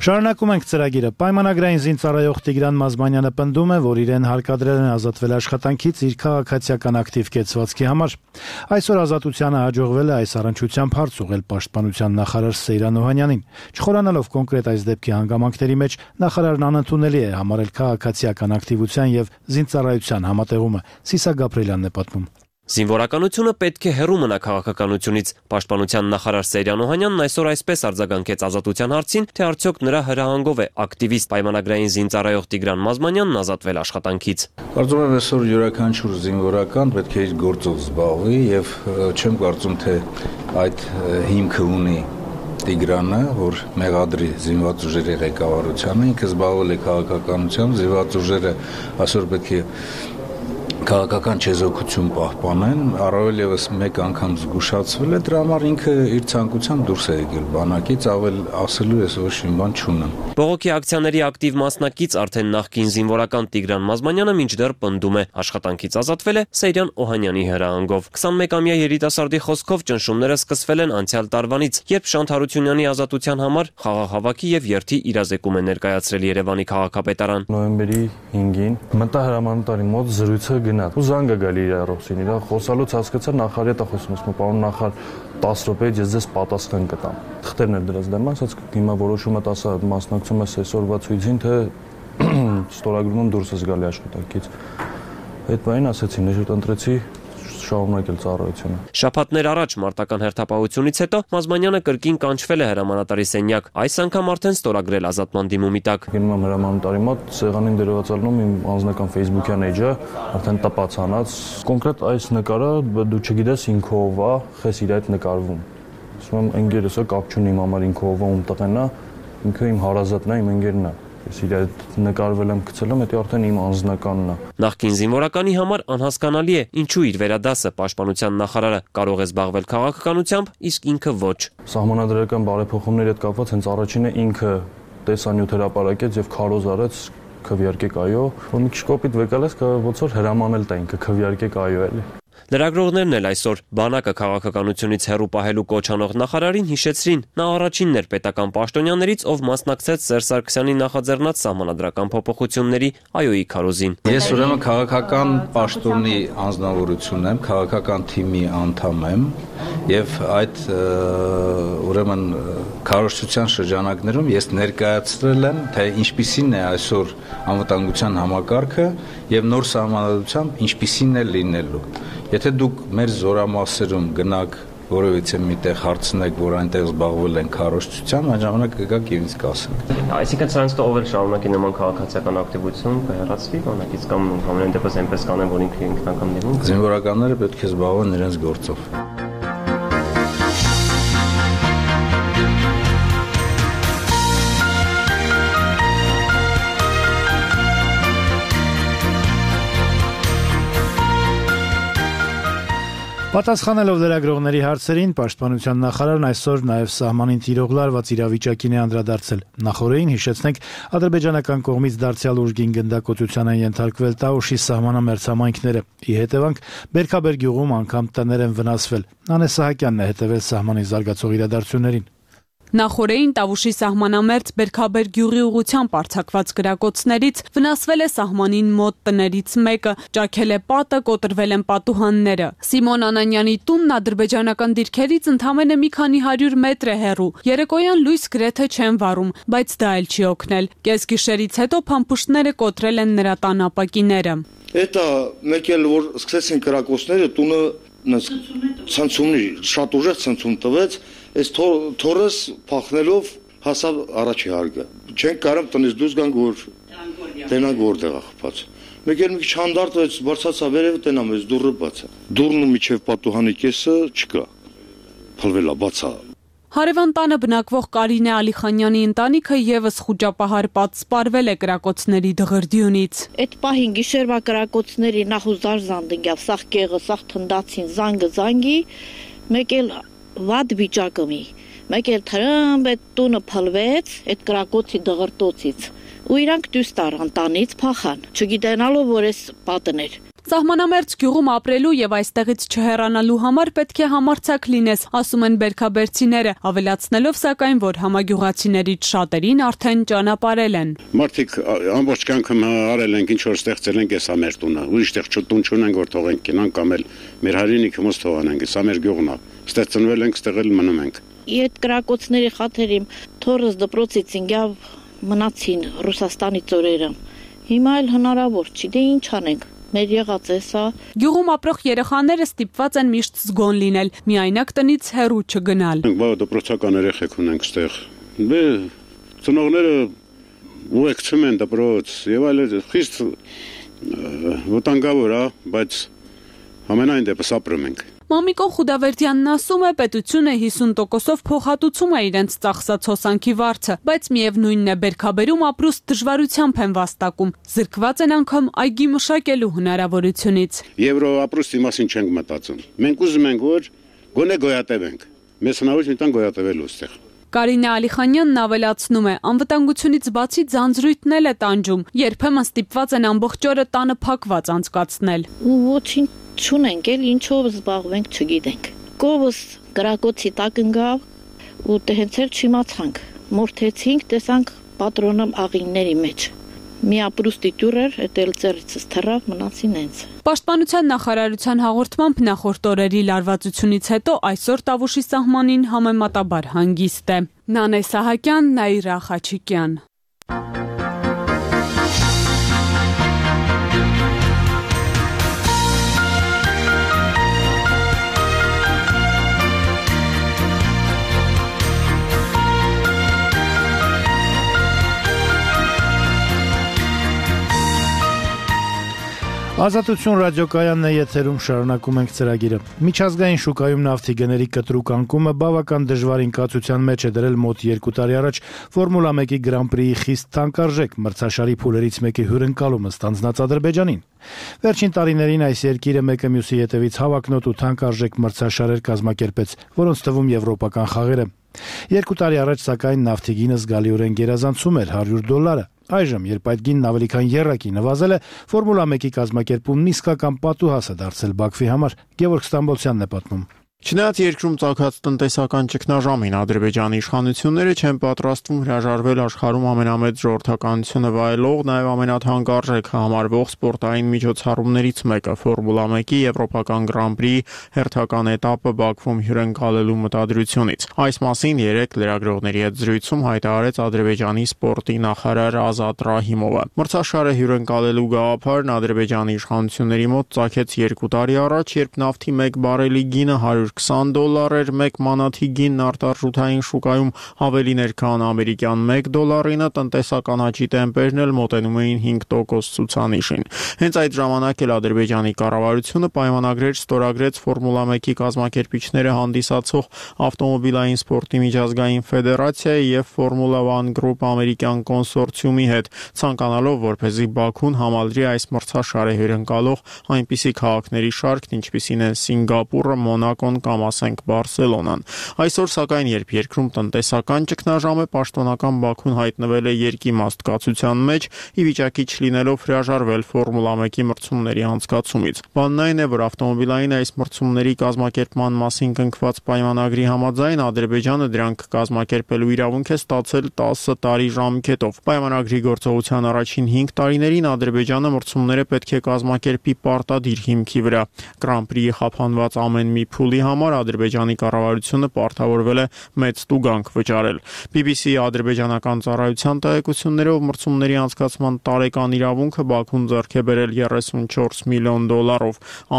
Շարունակում ենք ծրագիրը։ Պայմանագրային զինծառայող Տիգրան Մազմանյանը պնդում է, որ իրեն հարկադրել են ազատվել աշխատանքից իր քաղաքացիական ակտիվ կեցվածքի համար։ Այսօր Ազատությանը հաջողվել է այս առնչությամբ հարց ուղղել պաշտպանության նախարար Սեյրան Օհանյանին։ Չխորանալով կոնկրետ այս դեպքի հանգամանքների մեջ, նախարարն անընդունելի է համարել քաղաքացիական ակտիվության եւ զինծառայության համատեղումը։ Սիսա Գաբրելյանն է պատմում։ Զինվորականությունը պետք է հեռու մնա քաղաքականությունից։ Պաշտպանության նախարար Սեյրան Օհանյանն այսօր այսպես արձագանքեց Ազատության հարցին, թե արդյոք նրա հրահանգով է ակտիվիստ պայմանագրային զինծառայող Տիգրան Մազմանյանն ազատվել աշխատանքից։ Կարծում եմ այսօր յուրաքանչյուր զինվորական պետք է իր գործով զբաղվի եւ չեմ կարծում թե այդ հիմքը ունի Տիգրանը, որ մեղադրի զինված ուժերի ղեկավարությանը, ինքը զբաղվել է քաղաքականությամբ, զինված ուժերը այսօր պետք է քաղաքական չեզոքություն պահպանեն, առավել եւս մեկ անգամ զգուշացվել է, դրա համար ինքը իր ցանկությամբ դուրս է եկել բանակից, ավել ասելու ես ոչ մի բան չունեմ։ Բողոքի ակցիաների ակտիվ մասնակից արդեն նախկին զինվորական Տիգրան Մազմանյանը մինչդեռ պնդում է, աշխատանքից ազատվել է Սեյրան Օհանյանի հրահանգով։ 21-ամյա երիտասարդի խոսքով ճնշումները սկսվել են անցյալ տարվանից, երբ Շանթ Հարությունյանի ազատության համար խաղաղ եւ երթի իրազեկում է ներկայացրել Երևանի քաղաքապետարան։ Նոյեմբերի 5-ին մտա հրամանատարի մոտ զրույցը գնաց ու զանգը գալի իր առողջին, իր խոսալուց հասկացա նախարարի հետ խոսում, ասում պարոն նախարար 10 րոպեից ես ձեզ պատասխան կտամ։ Թղթերն էր դրած դեմ, ասաց հիմա որոշումը տասը մասնակցում ես այսօրվա ցույցին, թե ստորագրումն դուրս ես գալի աշխատանքից։ Այդ բանին ասեցի, նշույթ ընտրեցի շարունակել ծառայությունը։ Շաբաթներ առաջ մարտական հերթապահությունից հետո Մազմանյանը կրկին կանչվել է հրամանատարի սենյակ, այս անգամ արդեն ստորագրել ազատման դիմումի տակ։ Գնում եմ հրամանատարի մոտ, սեղանին դերվածալնում իմ անձնական Facebook-յան էջը, արդեն տպացանած։ Կոնկրետ այս նկարը դու չգիտես ինքը ով է, խես իր այդ նկարվում։ Ասում եմ ընկերս է, կապ չունի իմ համար ինքը ով է, ում տղեն է, ինքը իմ հարազատն է, իմ ընկերն է։ Ես իր այդ նկարվել եմ գցել, դա արդեն իմ անձնականն է։ Նախկին զինվորականի համար անհասկանալի է, ինչու իր վերադասը պաշտպանության նախարարը կարող է զբաղվել քաղաքականությամբ, իսկ ինքը ոչ։ Սահմանադրական բարեփոխումների հետ կապված հենց առաջինը ինքը տեսանյութ հրապարակեց եւ քարոզ արեց քվեարկեք այո, որ մի քիչ կոպիտ վեկալես, ոնց որ հրամանել տա ինքը քվեարկեք այո էլի։ Լրագրողներն էլ այսօր բանակը քաղաքականությունից հեռու պահելու կոչ անող նախարարին հիշեցրին, նա առաջինն էր պետական պաշտոնյաներից, ով մասնակցեց Սերժ Սարգսյանի նախաձեռնած սահմանադրական փոփոխությունների այոյի քարոզին։ Ես ուրեմն քաղաքական պաշտոնի անձնավորություն եմ, քաղաքական թիմի անդամ եմ եւ այդ ուրեմն քարոզչության շրջանակներում ես ներկայացրել եմ, թե ինչպիսին է այսօր անվտանգության համակարգը եւ նոր սահմանադրությամբ ինչպիսին է լինելու։ Եթե դուք մեր զորամասերում գնաք որևիցե միտեղ հարցնեք, որ այնտեղ զբաղվել են քարոզչությամբ, այն ժամանակ կգաք եւ ինձ կասեք։ Այսինքն սրանց ով էլ շարունակի նման քաղաքացիական ակտիվություն կհեռացվի բանակից կամ ամեն դեպս այնպես կանեն, որ ինքը ինքնական դիմում։ Զինվորականները պետք է զբաղվեն իրենց գործով։ Պատասխանելով լրագրողների հարցերին, պաշտպանության նախարարն այսօր նաև սահմանին տիրող լարված իրավիճակին է անդրադարձել։ Նախորդին հիշեցնենք, ադրբեջանական կողմից դարձյալ ուժգին գնդակոծության են ենթարկվել Տաուշի սահմանամերձ համայնքները։ Ի հետևանք Բերքաբեր գյուղում անգամ տներ են վնասվել։ Նանե Սահակյանն է հետևել սահմանի զարգացող իրադարձություններին։ Նախորդին Տավուշի սահմանամերձ Բերքաբեր գյուղի ուղությամբ արձակված գրակոծներից վնասվել է սահմանին մոտ տներից մեկը, ճաքել է պատը, կոտրվել են պատուհանները։ Սիմոն Անանյանի տունն ադրբեջանական դիրքերից ընդամենը մի քանի 100 մետր է հեռու։ Երեկոյան լույս գրեթե չեն վառում, բայց դա էլ չի օգնել։ Կեսգիշերից հետո փամփուշտները կոտրել են նրա տան ապակիները։ Դա մեկ էլ որ սկսեցին գրակոծները, տունը ցնցումներ, շատ ուժեղ ցնցում տվեց։ Այս թորս փախնելով հասավ առաջի հարգը։ Չենք կարող տնից դուրս գանք, որ տենանք որտեղ է խփած։ Մեկ էլ մի քիչ հանդարտվեց, բարձացա վերևը, տենամ այս դուռը բաց է։ Դուռն ու միջև պատուհանի կեսը չկա։ Փլվել է, բաց է։ Հարևան տանը բնակվող Կարինե Ալիխանյանի ընտանիքը եւս խուճապահար պատսպարվել է կրակոցների դղրդյունից։ Այդ պահին գիշերվա կրակոցների նախուզար զանդգյավ, սաղ կեղը, սաղ թնդացին, զանգի, մեկ էլ վատ վիճակը մի, մեկ էլ թրմբ այդ տունը փլվեց այդ կրակոցի դղրտոցից ու իրանք դուրս տարան տանից փախան, չգիտենալով որ էս պատն էր։ Սահմանամերձ գյուղում ապրելու եւ այստեղից չհեռանալու համար պետք է համարձակ լինես, ասում են բերքաբերցիները, ավելացնելով սակայն, որ համագյուղացիներից շատերին արդեն ճանապարհել են։ Մարդիկ ամբողջ կյանքը արել են, ինչ որ ստեղծել են, էսա մեր տունը։ Ուրիշ տեղ տուն չունենք, որ թողենք կինան կամ էլ մեր հայրենիքը մոս թողանենք, էսա մեր գյուղն է։ Ստեղծնվել ենք, ստեղել մնում ենք։ Այդ կրակոցների խաթերին թորս դպրոցից ինգավ մնացին Ռուսաստանի ծորերը։ Հիմա էլ հնարավոր չի, դե ինչ անենք։ Մեր եղած է սա։ Գյուղում ապրող երեխաները ստիպված են միշտ զգոն լինել, միայնակ տնից հեռու չգնալ։ Դպրոցական երեխեք ունենք ստեղ։ Դե ծնողները ուղեկցում են դպրոց եւ այլ խիստ վտանգավոր է, բայց ամենայն դեպս ապրում ենք։ Մամիկոն Խուդավերդյանն ասում է, պետությունը 50%-ով փոխհատուցում է իրենց ծախսած հոսանքի վարձը, բայց միևնույնն է բերքաբերում ապրուստ դժվարությամբ են վաստակում, զրկված են անգամ այգի մշակելու հնարավորությունից։ Եվրո ապրուստի մասին չենք մտածում։ Մենք ուզում ենք, որ գոնե գոյատևենք։ Մեզ հնարավոր չտան գոյատևելու այստեղ։ Կարինե Ալիխանյանն ավելացնում է, անվտանգությունից բացի ձանձրույթն էլ է տանջում, երբեմն ստիպված են ամբողջ օրը տանը փակված անցկացնել։ Ոչինչ չունենք, էլ ինչով զբաղվենք չգիտենք։ Կովս գրակոցի տակ ընկավ ու հենց էլ չիմացանք։ Մորթեցինք, տեսանք պատրոնը աղինների մեջ։ Մի ապրուստի տյուր էր, էլ ծերիցս թռավ, մնացին հենց։ Պաշտպանության նախարարության հաղորդմամբ նախորդ օրերի լարվածությունից հետո այսօր Տավուշի սահմանին համեմատաբար հանգիստ է։ Նանե Սահակյան, Նաիրա Խաչիկյան։ Ազատություն ռադիոկայանն է եթերում, շարունակում ենք ծրագիրը։ Միջազգային շուկայում նավթի գների կտրուկ անկումը բավական դժվարին կացության մեջ է դրել մոտ 2 տարի առաջ Ֆորմուլա 1-ի Grand Prix-ի խիստ թանկարժեք մրցաշարի փուլերից մեկի հյուրընկալումը ստանձնած Ադրբեջանին։ Վերջին տարիներին այս երկիրը մեկը մյուսի հետևից հավակնոտ ու թանկարժեք մրցաշարեր կազմակերպեց, որոնց թվում եվրոպական խաղերը։ 2 տարի առաջ սակայն նավթի գինը զգալիորեն գերազանցում էր $100։ Այժմ, երբ այդ գինն ավելի քան եռակի նվազել է, Ֆորմուլա 1-ի կազմակերպումն իսկական պատուհաս է դարձել Բաքվի համար։ Գևորգ Ստամբոլցյանն է պատմում։ Չնայած երկրում ծագած տնտեսական ճգնաժամին Ադրբեջանի իշխանությունները չեն պատրաստվում հրաժարվել աշխարհում ամենամեծ ժողովրդականությունը վայելող, նաև ամենաթանկարժեք համարվող սպորտային միջոցառումներից մեկը Ֆորմուլա 1-ի եվրոպական Grand Prix հերթական էտապը Բաքվում հյուրընկալելու մտադրությունից։ Այս մասին երեկ լրագրողների հետ զրույցում հայտարարեց Ադրբեջանի սպորտի նախարար Ազատ Ռահիմովը։ Մրցաշարը հյուրընկալելու գաղափարն Ադրբեջանի իշխանությունների մոտ ծագեց 2 տարի առաջ, երբ նավթի 1 բարելի գինը $120 էր, մեկ մանաթի գինն արտարժութային շուկայում ավելին էր, քան ամերիկյան $1-ինը, տնտեսական աճի տեմպերն էլ մոտենում էին 5% ցուցանիշին։ Հենց այդ ժամանակ էլ Ադրբեջանի կառավարությունը պայմանագրեր ստորագրեց Ֆորմուլա 1-ի կազմակերպիչները հանդիսացող ավտոմոբիլային սպորտի միջազգային ֆեդերացիայի եւ Ֆորմուլա 1 Group ամերիկյան կոնսորցիումի հետ, ցանկանալով, որպեսզի Բաքուն համալրի այս մրցաշարը հյուրընկալող այնպիսի քաղաքների շարքն, ինչպիսին են Սինգապուրը, Մոնակոն կամ ասենք Բարսելոնան։ Այսօր սակայն, երբ երկրում տնտեսական ճգնաժամ է, պաշտոնական Բաքուն հայտնվել է երկիմաստ կացության մեջ, ի վիճակի չլինելով հրաժարվել Ֆորմուլա 1-ի մրցումների անցկացումից։ Բանն այն է, որ ավտոմոբիլային այս մրցումների կազմակերպման մասին կնքված պայմանագրի համաձայն Ադրբեջանը դրանք կազմակերպելու իրավունք է ստացել 10 տարի ժամկետով։ Պայմանագրի գործողության առաջին 5 տարիներին Ադրբեջանը մրցումները պետք է կազմակերպի պարտադիր հիմքի վրա։ Grand Prix-ի խափանված ամեն մի փուլի համար Ադրբեջանի կառավարությունը պարտավորվել է մեծ տուգանք վճարել։ BBC-ի ադրբեջանական ծառայության տեղեկություններով մրցումների անցկացման տարեկան իրավունքը Բաքուն ձեռք է բերել $34 միլիոն։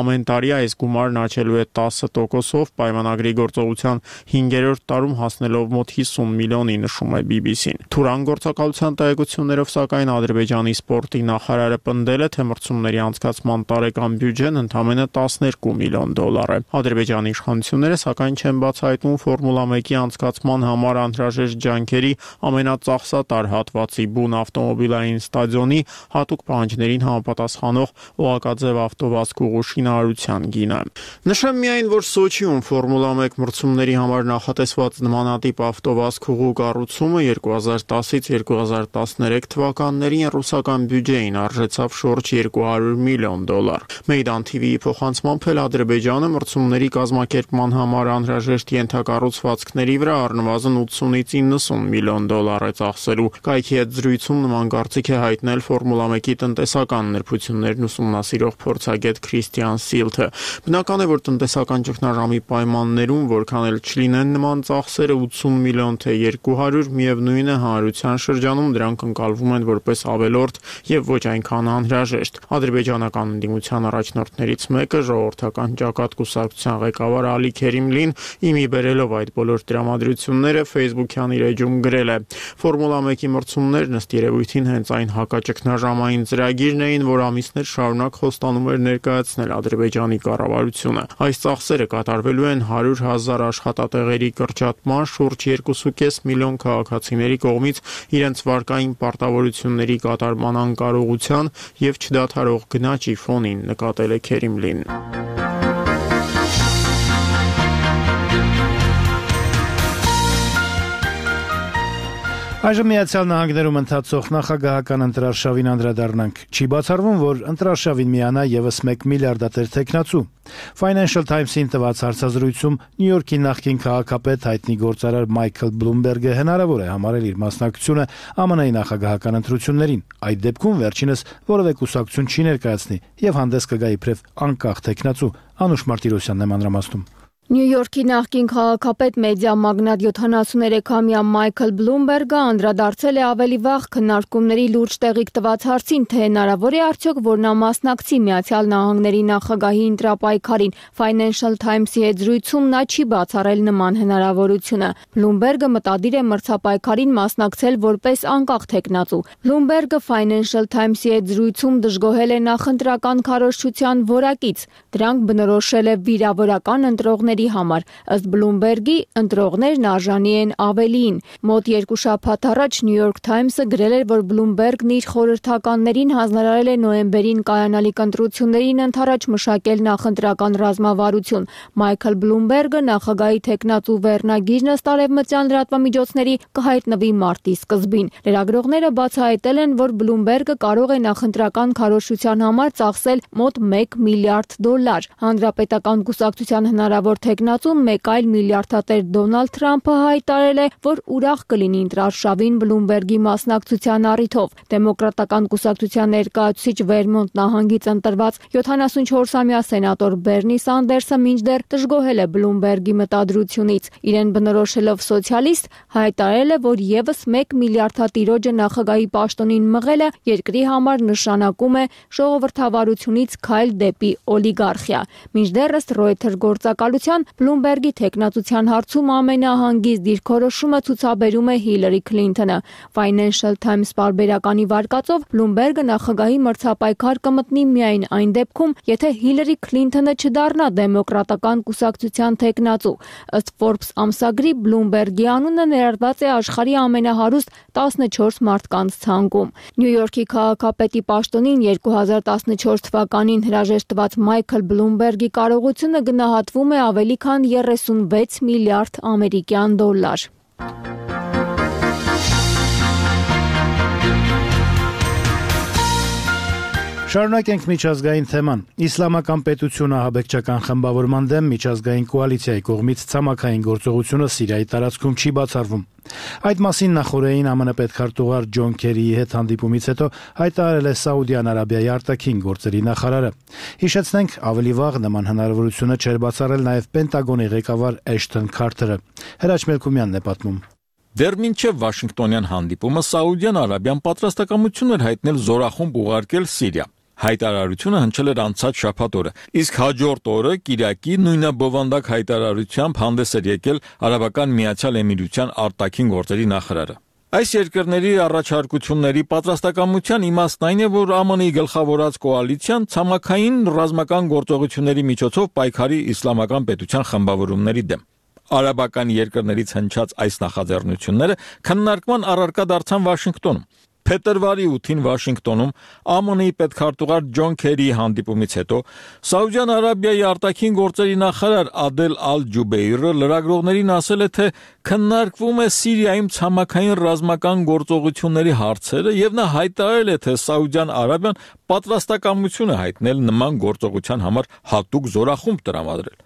Ամեն տարի այս գումարն աճելու է 10%-ով, պայմանագրի գործողության 5-րդ տարում հասնելով մոտ 50 միլիոնի, նշում է BBC-ն։ Թուրան գործակալության տեղեկություններով սակայն Ադրբեջանի սպորտի նախարարը պնդել է, թե մրցումների անցկացման տարեկան բյուջեն ընդամենը $12 միլիոն է։ Ադրբեջանի իշխանությունները սակայն չեն բացահայտում Ֆորմուլա 1-ի անցկացման համար անհրաժեշտ ջանքերի ամենածախսատար հատվածի բուն ավտոմոբիլային ստադիոնի հատուկ պահանջներին համապատասխանող օղակաձև ավտովազքուղու շինարարության գինը։ Նշեմ միայն, որ Սոչիում Ֆորմուլա 1 մրցումների համար նախատեսված նմանատիպ ավտովազքուղու կառուցումը 2010-ից 2013 թվականներին ռուսական բյուջեին արժեցավ շուրջ $200 միլիոն։ Մեյդան TV-ի փոխանցմամբ էլ Ադրբեջանը մրցումների կազմակերպման համար անհրաժեշտ ենթակառուցվածքների վրա առնվազն $80-90 միլիոն է ծախսելու։ Կայքի հետ զրույցում նման կարծիք է հայտնել Ֆորմուլա 1-ի տնտեսական նրբություններն ուսումնասիրող փորձագետ Քրիստիան Սիլթը։ Բնական է, որ տնտեսական ճգնաժամի պայմաններում, որքան էլ չլինեն նման ծախսերը 80 միլիոն թե 200, միևնույն է հանրության շրջանում դրանք ընկալվում են որպես ավելորդ եւ ոչ այնքան անհրաժեշտ։ Ադրբեջանական ընդդիմության առաջնորդներից մեկը ժողովրդական ճակատ կուսակցության ղեկավար Ալի Քերիմլին իմի բերելով այդ բոլոր տրամադրությունները Facebook-յան իր էջում գրել է. Ֆորմուլա 1-ի մրցումներն ըստ երևույթին հենց այն հակաճգնաժամային ծրագիրն էին, որ ամիսներ շարունակ խոստանում էր ներկայացնել Ադրբեջանի կառավարությունը։ Այս ծախսերը կատարվելու են 100,000 աշխատատեղերի կրճատման, շուրջ 2.5 միլիոն քաղաքացիների կողմից իրենց վարկային պարտավորությունների կատարման անկարողության եւ չդադարող գնաճի ֆոնին, նկատել է Քերիմլին։ Այժմ Միացյալ Նահանգներում ընթացող նախագահական ընտրարշավին անդրադառնանք։ Չի բացառվում, որ ընտրարշավին միանա եւս 1 միլիարդատեր տեխնացու։ Financial Times-ին տված հարցազրույցում Նյու Յորքի նախկին քաղաքապետ հայտնի գործարար Մայքլ Բլումբերգը հնարավոր է համարել իր մասնակցությունը ԱՄՆ-ի նախագահական ընտրություններին։ Այդ դեպքում վերջինս որևէ կուսակցություն չի ներկայացնի եւ հանդես կգա իբրև անկախ տեխնացու։ Անուշ Մարտիրոսյանն է մանրամասնում։ Նյու Յորքի նախկին քաղաքապետ մեդիա մագնատ 73-ամյա Մայքլ Բլումբերգը անդրադարձել է ավելի վաղ քննարկումների լուրջ տեղիք տված հարցին, թե հնարավոր է արդյոք, որ նա մասնակցի Միացյալ Նահանգների նախագահի ընտրապայքարին։ Financial Times-ի հետ զրույցում նա չի բացառել նման հնարավորությունը։ Բլումբերգը մտադիր է մրցապայքարին մասնակցել որպես անկախ տեխնացու։ Բլումբերգը Financial Times-ի հետ զրույցում դժգոհել է նախընտրական քարոզչության որակից։ Դրանք բնորոշել է վիրավորական ընտրողների համար։ Ըստ Բլումբերգի, ընտրողներն արժանի են ավելիին։ Մոտ 2 շաբաթ առաջ New York Times-ը գրել էր, որ Բլումբերգն իր խորհրդականներին հանձնարարել է նոյեմբերին կայանալիք ընտրություններին ընդառաջ մշակել նախընտրական ռազմավարություն։ Մայքլ Բլումբերգը նախագահի տեխնացու վերնագիրն ըստ արևմտյան լրատվամիջոցների կհայտնվի մարտի սկզբին։ Լրագրողները բացահայտել են, որ Բլումբերգը կարող է նախընտրական քարոզչության համար ծախսել մոտ $1 միլիարդ։ Հանրապետական կուսակցության հնարավոր տեխնացու մեկ այլ միլիարդատեր Դոնալդ Թրամփը հայտարարել է, որ ուրախ կլինի ընտրարշավին Բլումբերգի մասնակցության առիթով։ Դեմոկրատական կուսակցության ներկայացուցիչ Վերմոնտ նահանգից ընտրված 74-ամյա սենատոր Բերնի Սանդերսը մինչդեռ դժգոհել է Բլումբերգի մտադրությունից։ Իրեն բնորոշելով սոցիալիստ, հայտարարել է, որ եւս 1 միլիարդատիրոջը նախագահի պաշտոնին մղելը երկրի համար նշանակում է ժողովրդավարությունից քայլ դեպի օլիգարխիա։ Մինչդեռ ըստ Reuters գործակալության Բլումբերգի տեխնացության հարցում ամենահանգիստ դիրքորոշումը ցուցաբերում է Հիլարի Քլինթոնը։ Financial Times պարբերականի վարկածով Բլումբերգը նախագահի մրցապայքար կմտնի միայն այն դեպքում, եթե Հիլարի Քլինթոնը չդառնա դեմոկրատական կուսակցության տեխնացու։ Ըստ Forbes ամսագրի Բլումբերգի անունը ներառված է աշխարհի ամենահարուստ 14 մարդկանց ցանկում։ Նյու Յորքի քաղաքապետի պաշտոնին 2014 թվականին հրաժեշտված Մայքլ Բլումբերգի կարողությունը գնահատվում է ավելի քան 36 միլիարդ ամերիկյան դոլար։ Շարունակենք միջազգային թեման։ Իսլամական պետությունը ահաբեկչական խմբավորման դեմ միջազգային կոալիցիայի կողմից ցամաքային գործողությունը Սիրիայի տարածքում չի բացառվում։ Այդ մասին նախորդին ԱՄՆ պետքարտուղար Ջոն Քերիի հետ հանդիպումից հետո հայտարարել է Սաուդյան Արաբիայի արտաքին գործերի նախարարը։ Հիշեցնենք, ավելի վաղ նման հնարավորությունը չէր բացառել նաև Պենտագոնի ղեկավար Էշթոն Քարթերը։ Հրաչ Մելքումյանն է պատմում։ Դեռ մինչև Վաշինգտոնյան հանդիպումը Սաուդյան Արաբիան պատրաստակամություն էր հայտնել զորախումբ ուղարկել Սիրիա։ Հայտարարությունը հնչել էր անցած շաբաթ օրը, իսկ հաջորդ օրը Կիրակի նույնաբովանդակ հայտարարությամբ հանդես էր եկել Արաբական Միացյալ Էմիրության արտաքին գործերի նախարարը։ Այս երկրների առաջարկությունների պատրաստակամության իմաստն այն է, որ ԱՄՆ-ի գլխավորած կոալիցիան ցամաքային ռազմական գործողությունների միջոցով պայքարի իսլամական պետության խմբավորումների դեմ։ Արաբական երկրներից հնչած այս նախաձեռնությունները քննարկման առարկա դարձան Վաշինգտոնում։ Փետրվարի 8-ին Վաշինգտոնում ԱՄՆ-ի պետքարտուղար Ջոն Քերիի հանդիպումից հետո Սաուդյան Արաբիայի արտաքին գործերի նախարար Ադել Ալ-Ջուբեյրը լրագրողներին ասել է, թե քննարկվում է Սիրիայում ցամաքային ռազմական գործողությունների հարցերը եւ նա հայտարարել է, թե Սաուդյան Արաբիան պատրաստակամություն է հայտնել նման գործողության համար հատուկ զորախումբ տրամադրել։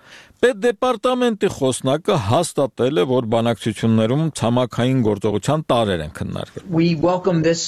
Պետդեպարտամենտի խոսնակը հաստատել է, որ բանակցություններում ցամաքային գործողության տարրեր են քննարկվել։ We welcome this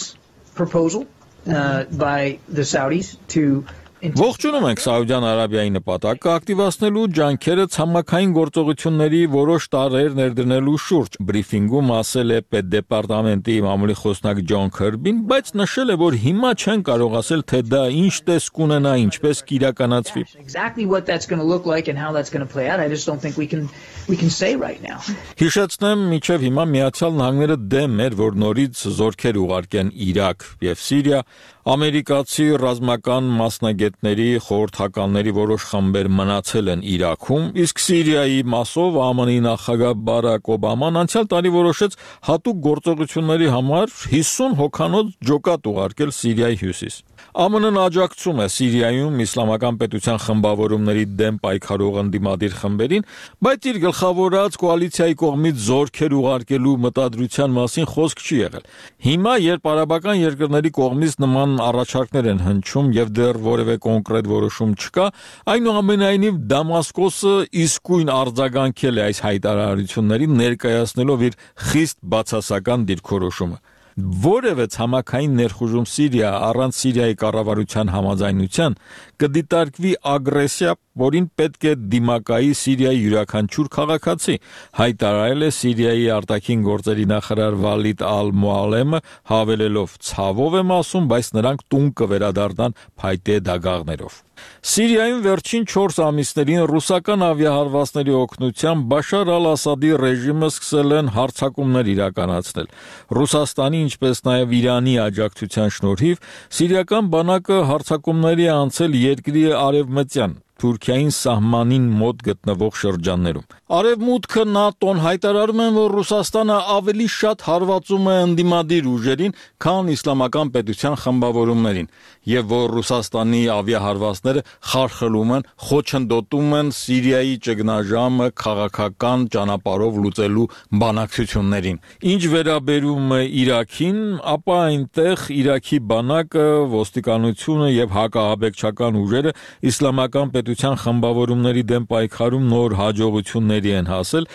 proposal by the Saudis to Ողջունում ենք Սաուդյան Արաբիայի նպատակը ակտիվացնելու ջանքերը ցամաքային գործողությունների որոշ տարրեր ներդնելու շուրջ, բրիֆինգում ասել է պետդեպարտամենտի մամուլի խոսնակ Ջոն Քերբին, բայց նշել է, որ հիմա չեն կարող ասել, թե դա ինչ տեսք ունենա, ինչպես կիրականացվի։ Exactly what that's going to look like and how that's going to play out. I just don't think we can say right now. Հիշեցնեմ, մինչև հիմա Միացյալ Նահանգները դեմ էր, որ նորից զորքեր ուղարկեն Իրաք եւ Սիրիա, ամերիկացի ռազմական մասնագետների խորհրդականների որոշ խմբեր մնացել են Իրաքում, իսկ Սիրիայի մասով ԱՄՆ-ի նախագահ Բարակ Օբաման անցյալ տարի որոշեց հատուկ գործողությունների համար 50 հոգանոց ջոկատ ուղարկել Սիրիայի հյուսիս։ ԱՄՆ-ն աջակցում է Սիրիայում իսլամական պետության խմբավորումների դեմ պայքարող ընդդիմադիր խմբերին, բայց իր գլխավորած կոալիցիայի կողմից զորքեր ուղարկելու մտադրության մասին խոսք չի եղել։ Հիմա, երբ արաբական երկրների կողմից նման առաջարկներ են հնչում եւ դեռ որևէ կոնկրետ որոշում չկա, այնուամենայնիվ Դամասկոսը իսկույն արձագանքել է այս հայտարարություններին, ներկայացնելով իր խիստ բացասական դիրքորոշումը։ Որևէ ցամաքային ներխուժում Սիրիա առանց Սիրիայի կառավարության համաձայնության կդիտարկվի ագրեսիա, որին պետք է դիմակայի Սիրիայի յուրաքանչյուր քաղաքացի, հայտարարել է Սիրիայի արտաքին գործերի նախարար Վալիդ Ալ-Մուալեմը, հավելելով. «Ցավով եմ ասում, բայց նրանք տուն կվերադառնան փայտե դագաղներով»։ Սիրիայում վերջին 4 ամիսներին ռուսական ավիահարվածների օգնությամբ Բաշար Ալ-Ասադի ռեժիմը սկսել են հարձակումներ իրականացնել։ Ռուսաստանի, ինչպես նաև Իրանի աջակցության շնորհիվ սիրիական բանակը հարձակումների է անցել երկրի արևմտյան Թուրքիային սահմանին մոտ գտնվող շրջաններում։ Արևմուտքը ՆԱՏՕ-ն հայտարարում են, որ Ռուսաստանը ավելի շատ հարվածում է ընդդիմադիր ուժերին, քան իսլամական պետության խմբավորումներին, եւ որ Ռուսաստանի ավիահարվածները խարխլում են, խոչընդոտում են Սիրիայի ճգնաժամը քաղաքական ճանապարհով լուծելու բանակցություններին։ Ինչ վերաբերում է Իրաքին, ապա այնտեղ Իրաքի բանակը, ոստիկանությունը եւ հակաահաբեկչական ուժերը իսլամական պետության խմբավորումների դեմ պայքարում նոր հաջողությունների են հասել։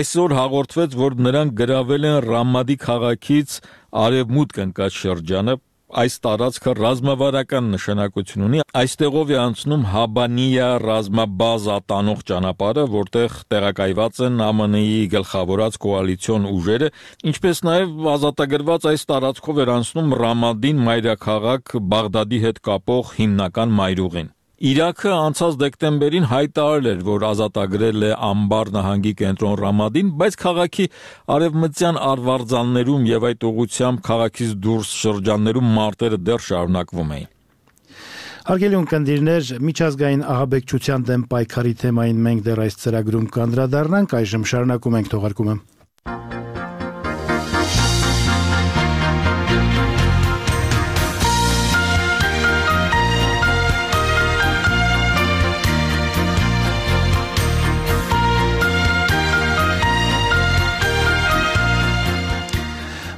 Այսօր հաղորդվեց, որ նրանք գրավել են Ռամադի քաղաքից արևմուտք ընկած շրջանը։ Այս տարածքը ռազմավարական նշանակություն ունի։ Այստեղով է անցնում Հաբանիա ռազմաբազա տանող ճանապարհը, որտեղ տեղակայված են ԱՄՆ-ի գլխավորած կոալիցիոն ուժերը, ինչպես նաև ազատագրված այս տարածքով էր անցնում Ռամադին մայրաքաղաք Բաղդադի հետ կապող հիմնական մայրուղին։ Իրաքը անցած դեկտեմբերին հայտարարել էր, որ ազատագրել է Ամբար նահանգի կենտրոն Ռամադին, բայց քաղաքի արևմտյան արվարձաններում եւ այդ ուղությամբ քաղաքից դուրս շրջաններում մարտերը դեռ շարունակվում էին։ Հարգելի ունկնդիրներ, միջազգային ահաբեկչության դեմ պայքարի թեմային մենք դեռ այս ծրագրում կանդրադառնանք, այժմ շարունակում ենք թողարկումը։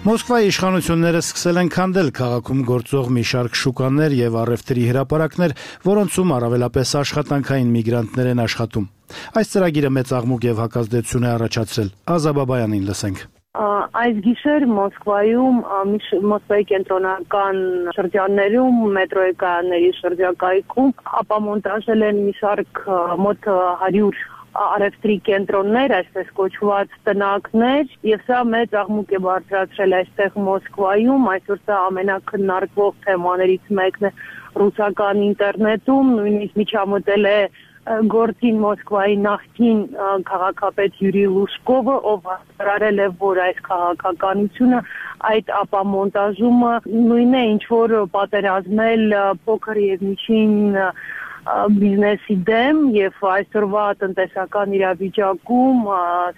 Մոսկվայի իշխանությունները սկսել են քանդել քաղաքում գործող մի շարք շուկաներ եւ առևտրի հրապարակներ, որոնցում առավելապես աշխատանքային միգրանտներ են աշխատում։ Այս ծրագիրը մեծ աղմուկ եւ հակազդեցություն է առաջացրել։ Ազաբաբայանին լսենք։ Այս գիշեր Մոսկվայում Մոսկվայի կենտրոնական շրջաններում մետրոյի կայանների շրջակայքում ապամոնտաժել են մի շարք մոտ 100 առևտրի կենտրոններ, այսպես կոչված տնակներ, եւ սա մեծ աղմուկ է բարձրացրել այստեղ Մոսկվայում, այսօր սա ամենակննարկվող թեմաներից մեկն է ռուսական ինտերնետում, նույնիսկ միջամտել է գործին Մոսկվայի նախկին քաղաքապետ Յուրի Լուսկովը, ով հայտարարել է, որ այս քաղաքականությունը, այդ ապամոնտաժումը նույնն է, ինչ որ պատերազմել փոքր եւ միջին բիզնեսի դեմ եւ այսօրվա տնտեսական իրավիճակում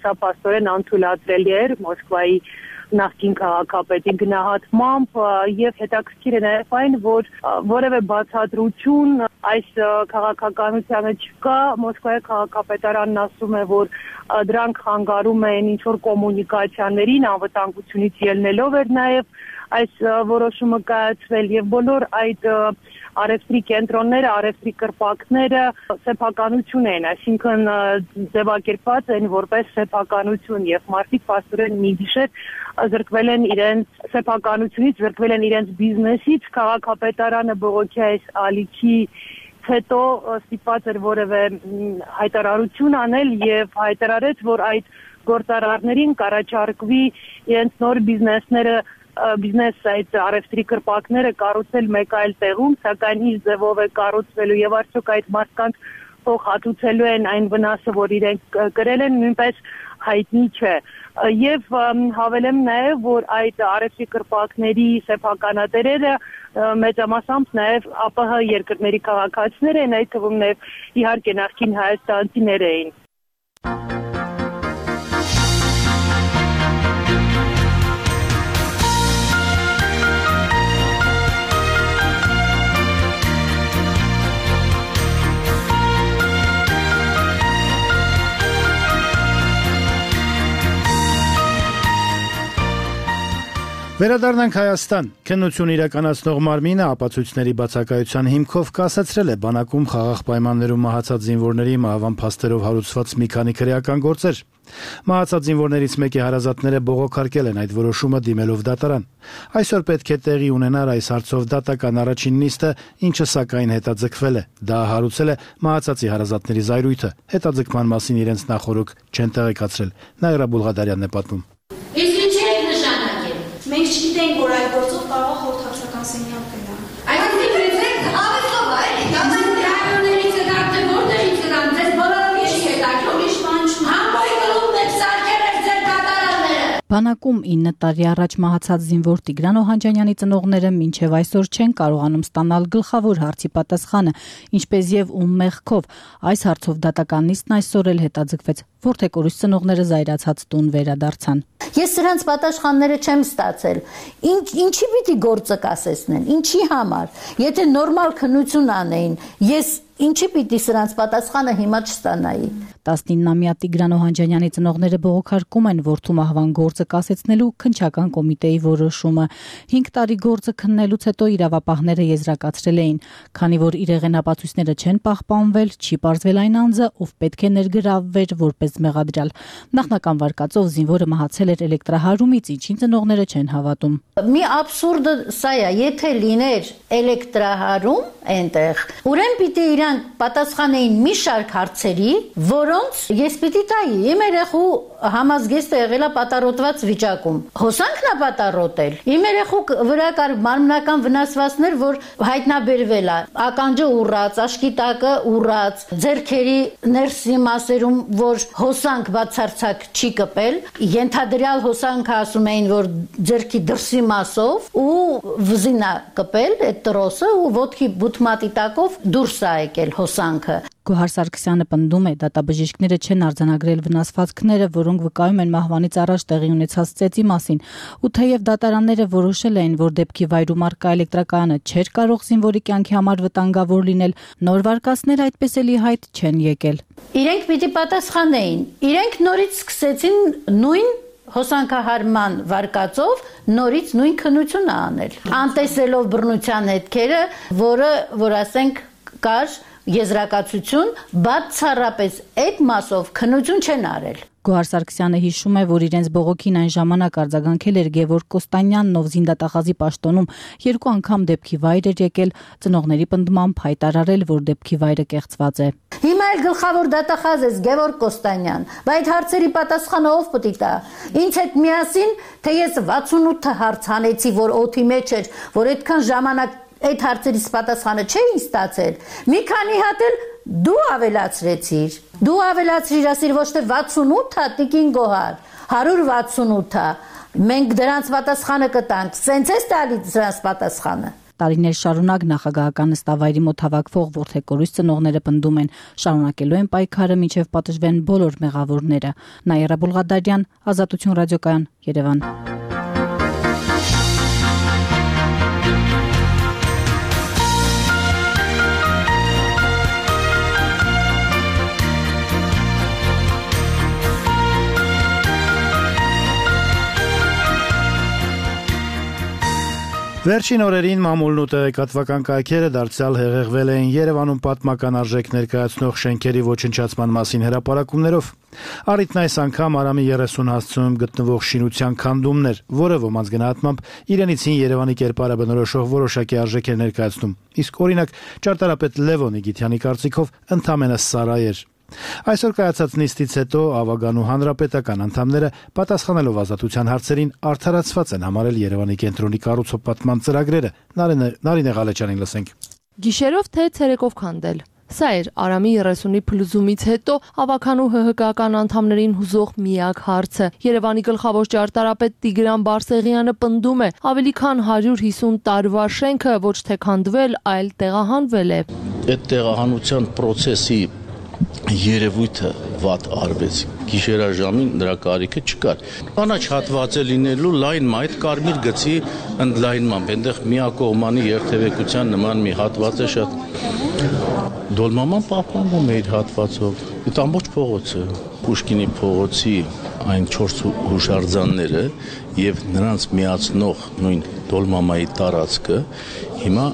սա պաստորեն անթույլատրելի էր Մոսկվայի նախկին քաղաքապետի գնահատմամբ եւ հետաքրքիր է նաեւ այն, որ որևէ բացատրություն այս քաղաքականությանը չկա, Մոսկվայի քաղաքապետարանն ասում է, որ դրանք խանգարում են ինչ-որ կոմունիկացիաներին, անվտանգությունից ելնելով էր նաեւ այս որոշումը կայացվել եւ բոլոր այդ արևտրի կենտրոնները, արևտրի կրպակները սեփականություն են, այսինքն ձևակերպված են որպես սեփականություն եւ մարդիկ փաստորեն մի գիշեր զրկվել են իրենց սեփականությունից, զրկվել են իրենց բիզնեսից, քաղաքապետարանը բողոքի այս ալիքի հետո ստիպված էր որևէ հայտարարություն անել եւ հայտարարեց, որ այդ գործարարներին կառաջարկվի իրենց նոր բիզնես այդ արևտրի կրպակները կառուցել մեկ այլ տեղում, սակայն ինչ ձևով է կառուցվելու եւ արդյոք այդ մարդկանց փող հատուցելու են այն վնասը, որ իրենք կրել են, նույնպես հայտնի չէ։ Եվ հավելեմ նաեւ, որ այդ արևտրի կրպակների սեփականատերերը մեծամասամբ նաեւ ԱՊՀ երկրների քաղաքացիներ են, այդ թվում նաեւ իհարկե նախկին հայաստանցիներ էին։ Վերադառնանք Հայաստան։ Քննություն իրականացնող մարմինը ապացույցների բացակայության հիմքով կասեցրել է բանակում խաղաղ պայմաններում մահացած զինվորների մահվան փաստերով հարուցված մի քանի քրեական գործեր։ Մահացած զինվորներից մեկի հարազատները բողոքարկել են այդ որոշումը դիմելով դատարան։ Այսօր պետք է տեղի ունենար այս հարցով դատական առաջին նիստը, ինչը սակայն հետաձգվել է։ Դա հարուցել է մահացածի հարազատների զայրույթը։ Հետաձգման մասին իրենց նախորոք չեն տեղեկացրել։ Նայրա Բուլղադարյանն է պատմում։ Մենք չգիտենք, որ այդ գործով կարող է խորհրդակցական սենյակ գնա։ Այսինքն դες ավելով այլ, կամ ռայոններից եկած որտեղից եկան, դες բոլորը ինչ եկան, ուրիշ բան չունի։ Համբոյ կլուբն եք սարքել եք ձեր կատարանները։ Բանակում 9 տարի առաջ մահացած զինվոր Տիգրան Օհանջանյանի ծնողները մինչև այսօր չեն կարողանում ստանալ գլխավոր հարցի պատասխանը, ինչպես եւ ում մեղքով։ Այս հարցով դատական նիստն այսօր էլ հետաձգվեց, որտեղ օրույս ծնողները զայրացած տուն վերադարձան։ Ես սրանց պատասխանները չեմ ստացել։ Ինչի պիտի գործը կասեցնեն, ինչի համար։ Եթե նորմալ քննություն անեին, ես ինչի պիտի սրանց պատասխանը հիմա չստանայի։ 19-ամյա Տիգրան Օհանջանյանի ծնողները բողոքարկում են որդու մահվան գործը կասեցնելու քննչական կոմիտեի որոշումը։ 5 տարի գործը քննելուց հետո իրավապահները եզրակացրել էին, քանի որ իրեղեն ապացույցները չեն պահպանվել, չի պարզվել այն անձը, ով պետք է ներգրավվեր որպես մեղադրյալ։ Նախնական վարկածով զինվորը մահացել էր էլեկտրահարումից, ինչին ծնողները չեն հավատում։ Մի աբսուրդը սա է, եթե լիներ էլեկտրահարում այնտեղ, ուրեմն պիտի իրանք պատասխանեին մի շարք հարցերի, որոնց ես պիտի տայի։ Իմ երեխու համազգեստը եղել է պատառոտված վիճակում։ Հոսանքն է պատառոտել։ Իմ երեխու վրա կար մարմնական վնասվածքներ, որ հայտնաբերվել է։ Ականջը ուռած, աշկի տակը ուռած, ձեռքերի ներսի մասերում, որ հոսանք բացարձակ չի կպել, ենթադրյալ հոսանքը ասում էին, որ ձեռքի դրսի մասով ու վզինա կպել այդ տրոսը ու ոտքի բութմատի տակով դուրս է եկել հոսանքը։ Գոհար Սարգսյանը պնդում է, դատաբժիշկները չեն արձանագրել վնասվածքները, որոնք վկայում են մահվանից առաջ տեղի ունեցած ծեծի մասին, ու թեև դատարանները որոշել էին, որ դեպքի վայրում առկա էլեկտրակայանը չէր կարող զինվորի կյանքի համար վտանգավոր լինել, նոր վարկածները այդպես էլի հայտ չեն եկել։ Իրենք պիտի պատասխանեին, իրենք նորից սկսեցին նույն հոսանքահարման վարկածով նորից նույն քննությունը անել, անտեսելով բռնության հետքերը, որ ասենք կար եզրակացություն, բացառապես այդ մասով քննություն չեն արել։ Գոհար Սարգսյանը հիշում է, որ իրենց բողոքին այն ժամանակ արձագանքել էր Գևորգ Կոստանյանն, ով զինդատախազի պաշտոնում 2 անգամ դեպքի վայր էր եկել, ծնողների պնդմամբ հայտարարել, որ դեպքի վայրը կեղծված է։ Հիմա էլ գլխավոր դատախազ է Գևորգ Կոստանյան, բայց այդ հարցերի պատասխանը ով պետք է տա։ Ինձ հետ միասին, թե ես 68 հարց հանեցի, որ օդի մեջ էր, որ այդքան ժամանակ այդ հարցերից պատասխանը չէին ստացել։ Մի քանի հատ էլ դու ավելացրեցիր։ Դու ավելացրիր, ասիր ոչ թե 68-ա տիկին Գոհար, 168-ա։ Մենք դրանց պատասխանը կտանք։ Սենց է տալիս դրանց պատասխանը։ Տարիներ շարունակ նախագահական նստավայրի մոտ հավաքվող որդեկորույս ծնողները պնդում են, շարունակելու են պայքարը մինչև պատժվեն բոլոր մեղավորները։ Նաիրա Բուլղադարյան, Ազատություն ռադիոկայան, Երևան։ Վերջին օրերին մամուլն ու տեղեկատվական կայքերը դարձյալ հեղեղվել էին Երևանում պատմական արժեք ներկայացնող շենքերի ոչնչացման մասին հրապարակումներով։ Առիթն այս անգամ Արամի 30 հասցեում գտնվող շինության քանդումն էր, որը ոմանց գնահատմամբ իրենից հին Երևանի կերպարը բնորոշող որոշակի արժեք էր ներկայացնում։ Իսկ օրինակ ճարտարապետ Լևոն Իգիթյանի կարծիքով ընդամենը սարայ էր։ Այսօր կայացած նիստից հետո Ավագանու հանրապետական անդամները պատասխանելով ազատության հարցերին արդարացված են համարել Երևանի կենտրոնի կառուցող պատման ծրագրերը։ Նարինե Ղալեչյանին լսենք։ Գիշերով թե ցերեկով քանդել։ Սա էր Արամի 30-ի փլուզումից հետո Ավագանու ՀՀԿ-ական անդամներին հուզող միակ հարցը։ Երևանի գլխավոր ճարտարապետ Տիգրան Բարսեղյանը պնդում է, ավելի քան 150 տարվա շենքը ոչ թե քանդվել, այլ տեղահանվել է։ Այդ տեղահանության process-ի երևույթը վատ արվեց։ Գիշերաժամին դրա կարիքը չկար։ Կանաչ հատված է լինելու լայն մայթ կարմիր գծի ընդլայնմամբ, այնտեղ միակողմանի երթևեկության նման մի հատված է շատ։ Դոլմաման պահպանվում է իր հատվածով։ Այդ ամբողջ փողոցը, Պուշկինի փողոցի այն 4 հուշարձանները եւ նրանց միացնող նույն Դոլմամայի տարածքը հիմա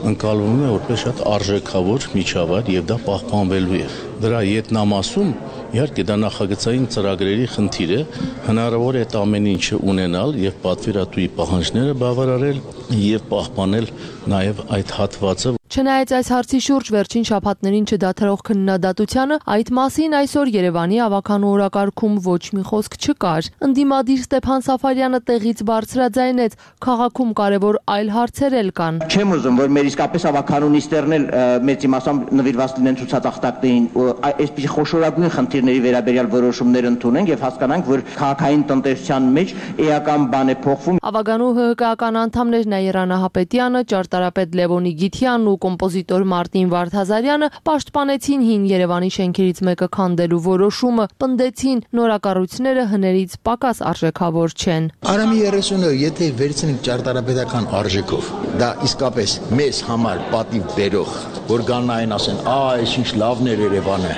ընկալվում է որպես շատ արժեքավոր միջավայր եւ դա պահպանվելու է։ Դրա յետնամասում իհարկե դա նախագծային ծրագրերի խնդիր է, հնարավոր է այդ ամեն ինչը ունենալ եւ պատվիրատուի պահանջները բավարարել եւ պահպանել նաեւ այդ հատվածը։ Չնայած այս հարցի շուրջ վերջին շաբաթներին չդադարող քննադատությանը, այդ մասին այսօր Երևանի Ավագանու օրակարգում ոչ մի խոսք չկար։ Ընդդիմադիր Ստեփան Սաֆարյանը տեղից բարձրաձայնեց, քաղաքում կարևոր այլ հարցեր էլ կան։ Չեմ ուզում, որ մեր իսկապես Ավագանու նիստերն էլ մեծի մասամբ նվիրված լինեն ցուցածախտակներին, այսպիսի խոշորագույն խնդիրների վերաբերյալ որոշումներ ընդունենք եւ հասկանանք, որ քաղաքային տնտեսության մեջ էական բան է փոխվում։ Ավագանու ՀՀԿ-ական անդամներ Նաիրա Նահապետյանը, ճարտարապետ Լևոն Իգիթյանն ու կոմպոզիտոր Մարտին Վարդազարյանը պաշտպանեցին հին Երևանի շենքերից մեկը քանդելու որոշումը, պնդեցին նորակառույցները հներից պակաս արժեքավոր չեն։ Արամի 30-ը եթե վերցնենք ճարտարապետական արժեքով, դա իսկապես մեզ համար պատիվ բերող, որ գան այն ասեն, այս ինչ լավն էր Երևանը,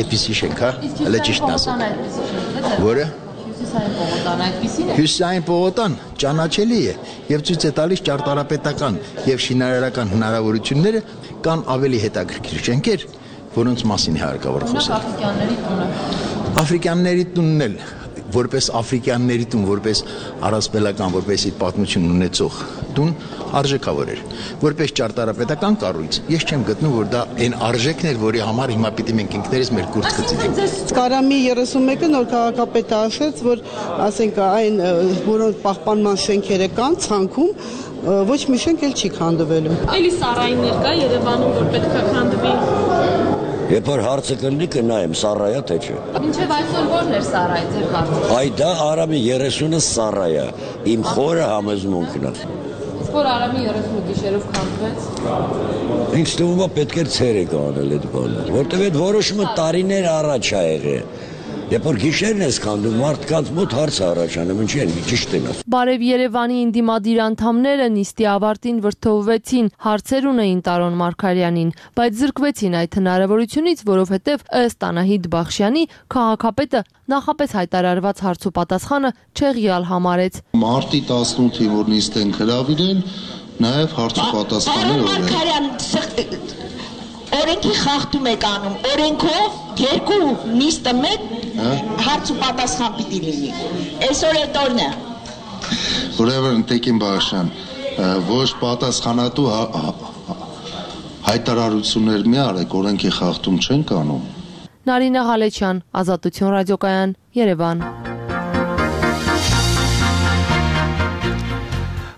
այդպիսի շենք, հա, հələ ճիշտն ասեմ։ Որը Հյուսիսային պողոտան ճանաչելի է եւ ցույց է տալիս ճարտարապետական եւ շինարարական հնարավորությունները կան ավելի հետաքրքիր շենքեր, որոնց մասին է հարկավոր խոսել։ Աֆրիկյանների տունն էլ որպես աֆրիկյանների տուն, որպես առասպելական, որպես իր պատմություն ունեցող տուն արժեքավոր էր։ Որպես ճարտարապետական կառույց, ես չեմ գտնում, որ դա այն արժեքն էր, որի համար հիմա պիտի մենք ինքներս մեր կուրտ գծենք։ Կարամի 31-ը նոր քաղաքապետը ասաց, որ ասենք այն, որոնց պահպանման շենքերը կան ցանկում, ոչ մի շենք էլ չի քանդվելու։ Էլի սարայիններ կա Երևանում, որ պետք է քանդվի։ Երբ որ հարցը կլինի կնայեմ սարայա թե չէ։ Մինչև այսօր ո՞րն էր սարայ ձեր կարծիքով։ Այ դա Արամի 30-ը սարայա, իմ խորը համոզմունքն է։ Իսկ որ Արամի 30-ը գիշերով քանդվեց։ Ինձ թվում է պետք է ցերեկ անել այդ բանը, որտեղ այդ որոշումը տարիներ առաջ ա եղել։ Երբ որ գիշերն ես քանդում, մարդկանց մոտ հարց առաջանում, ինչի են ճիշտ են ասում։ Բարև Երևանի ինդիմադիր անդամները նիստի ավարտին վրդովվեցին, հարցեր ունեին Տարոն Մարգարյանին, բայց զրկվեցին այդ հնարավորությունից, որովհետև ըստ Անահիտ Բախշյանի քաղաքապետը նախապես հայտարարված հարց ու պատասխանը չեղյալ համարեց։ Մարտի 18-ին որ նիստ են հրավիրել, նաև հարց ու պատասխաններ Օրենքի խախտում եք անում, օրենքով երկու նիստը մեկ հարց ու պատասխան պիտի լինի, այսօր էդ օրն է։ Ուրեմն Տեկին Բաղաշյան, ոչ պատասխանատու հայտարարություններ մի արեք, օրենքի խախտում չենք անում։ Նարինե Ղալեչյան, Ազատություն ռադիոկայան, Երևան։